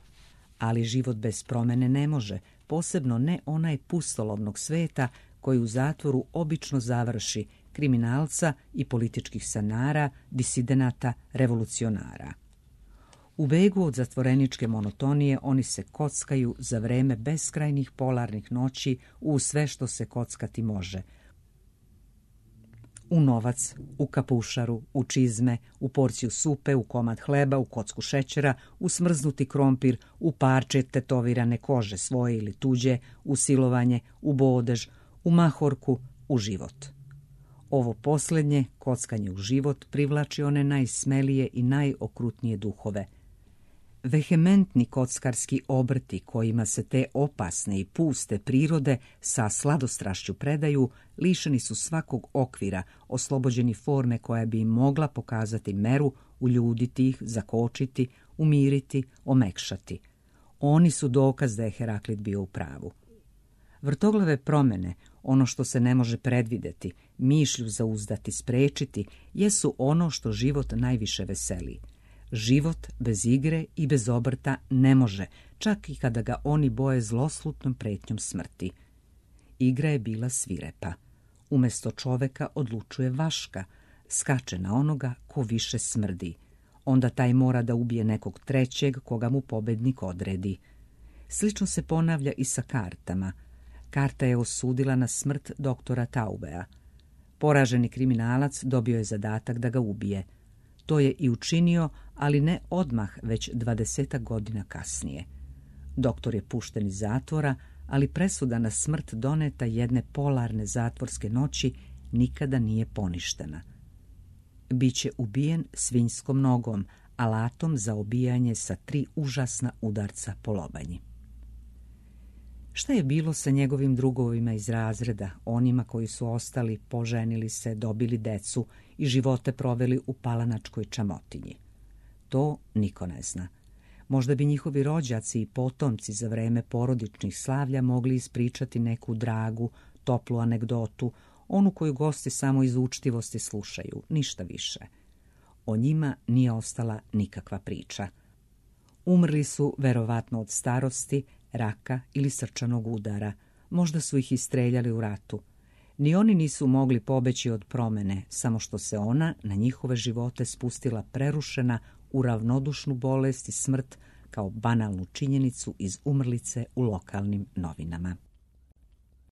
ali život bez promene ne može, posebno ne onaj pustolovnog sveta koji u zatvoru obično završi kriminalca i političkih sanara, disidenata, revolucionara. U begu od zatvoreničke monotonije oni se kockaju za vreme beskrajnih polarnih noći u sve što se kockati može. U novac, u kapušaru, u čizme, u porciju supe, u komad hleba, u kocku šećera, u smrznuti krompir, u parče tetovirane kože svoje ili tuđe, u silovanje, u bodež, u mahorku, u život. Ovo posljednje, kockanje u život, privlači one najsmelije i najokrutnije duhove. Vehementni kockarski obrti kojima se te opasne i puste prirode sa sladostrašću predaju, lišeni su svakog okvira, oslobođeni forme koja bi im mogla pokazati meru, uljuditi ih, zakočiti, umiriti, omekšati. Oni su dokaz da je Heraklit bio u pravu. Vrtoglave promjene, ono što se ne može predvideti, mišlju zauzdati, sprečiti, jesu ono što život najviše veseli. Život bez igre i bez obrta ne može, čak i kada ga oni boje zloslutnom pretnjom smrti. Igra je bila svirepa. Umjesto čoveka odlučuje vaška, skače na onoga ko više smrdi. Onda taj mora da ubije nekog trećeg koga mu pobednik odredi. Slično se ponavlja i sa kartama. Karta je osudila na smrt doktora Taubea. Poraženi kriminalac dobio je zadatak da ga ubije. To je i učinio, ali ne odmah, već 20 godina kasnije. Doktor je pušten iz zatvora, ali presuda na smrt doneta jedne polarne zatvorske noći nikada nije poništena. Biće ubijen svinjskom nogom, alatom za obijanje sa 3 užasna udarca po lobanji. Šta je bilo sa njegovim drugovima iz razreda, onima koji su ostali, poženili se, dobili decu i živote proveli u palanačkoj čamotinji? To niko ne zna. Možda bi njihovi rođaci i potomci za vreme porodičnih slavlja mogli ispričati neku dragu, toplu anegdotu, onu koju gosti samo iz učtivosti slušaju, ništa više. O njima nije ostala nikakva priča. Umrli su verovatno od starosti, raka ili srčanog udara. Možda su ih istreljali u ratu. Ni oni nisu mogli pobeći od promene, samo što se ona na njihove živote spustila prerušena u ravnodušnu bolest i smrt kao banalnu činjenicu iz umrlice u lokalnim novinama.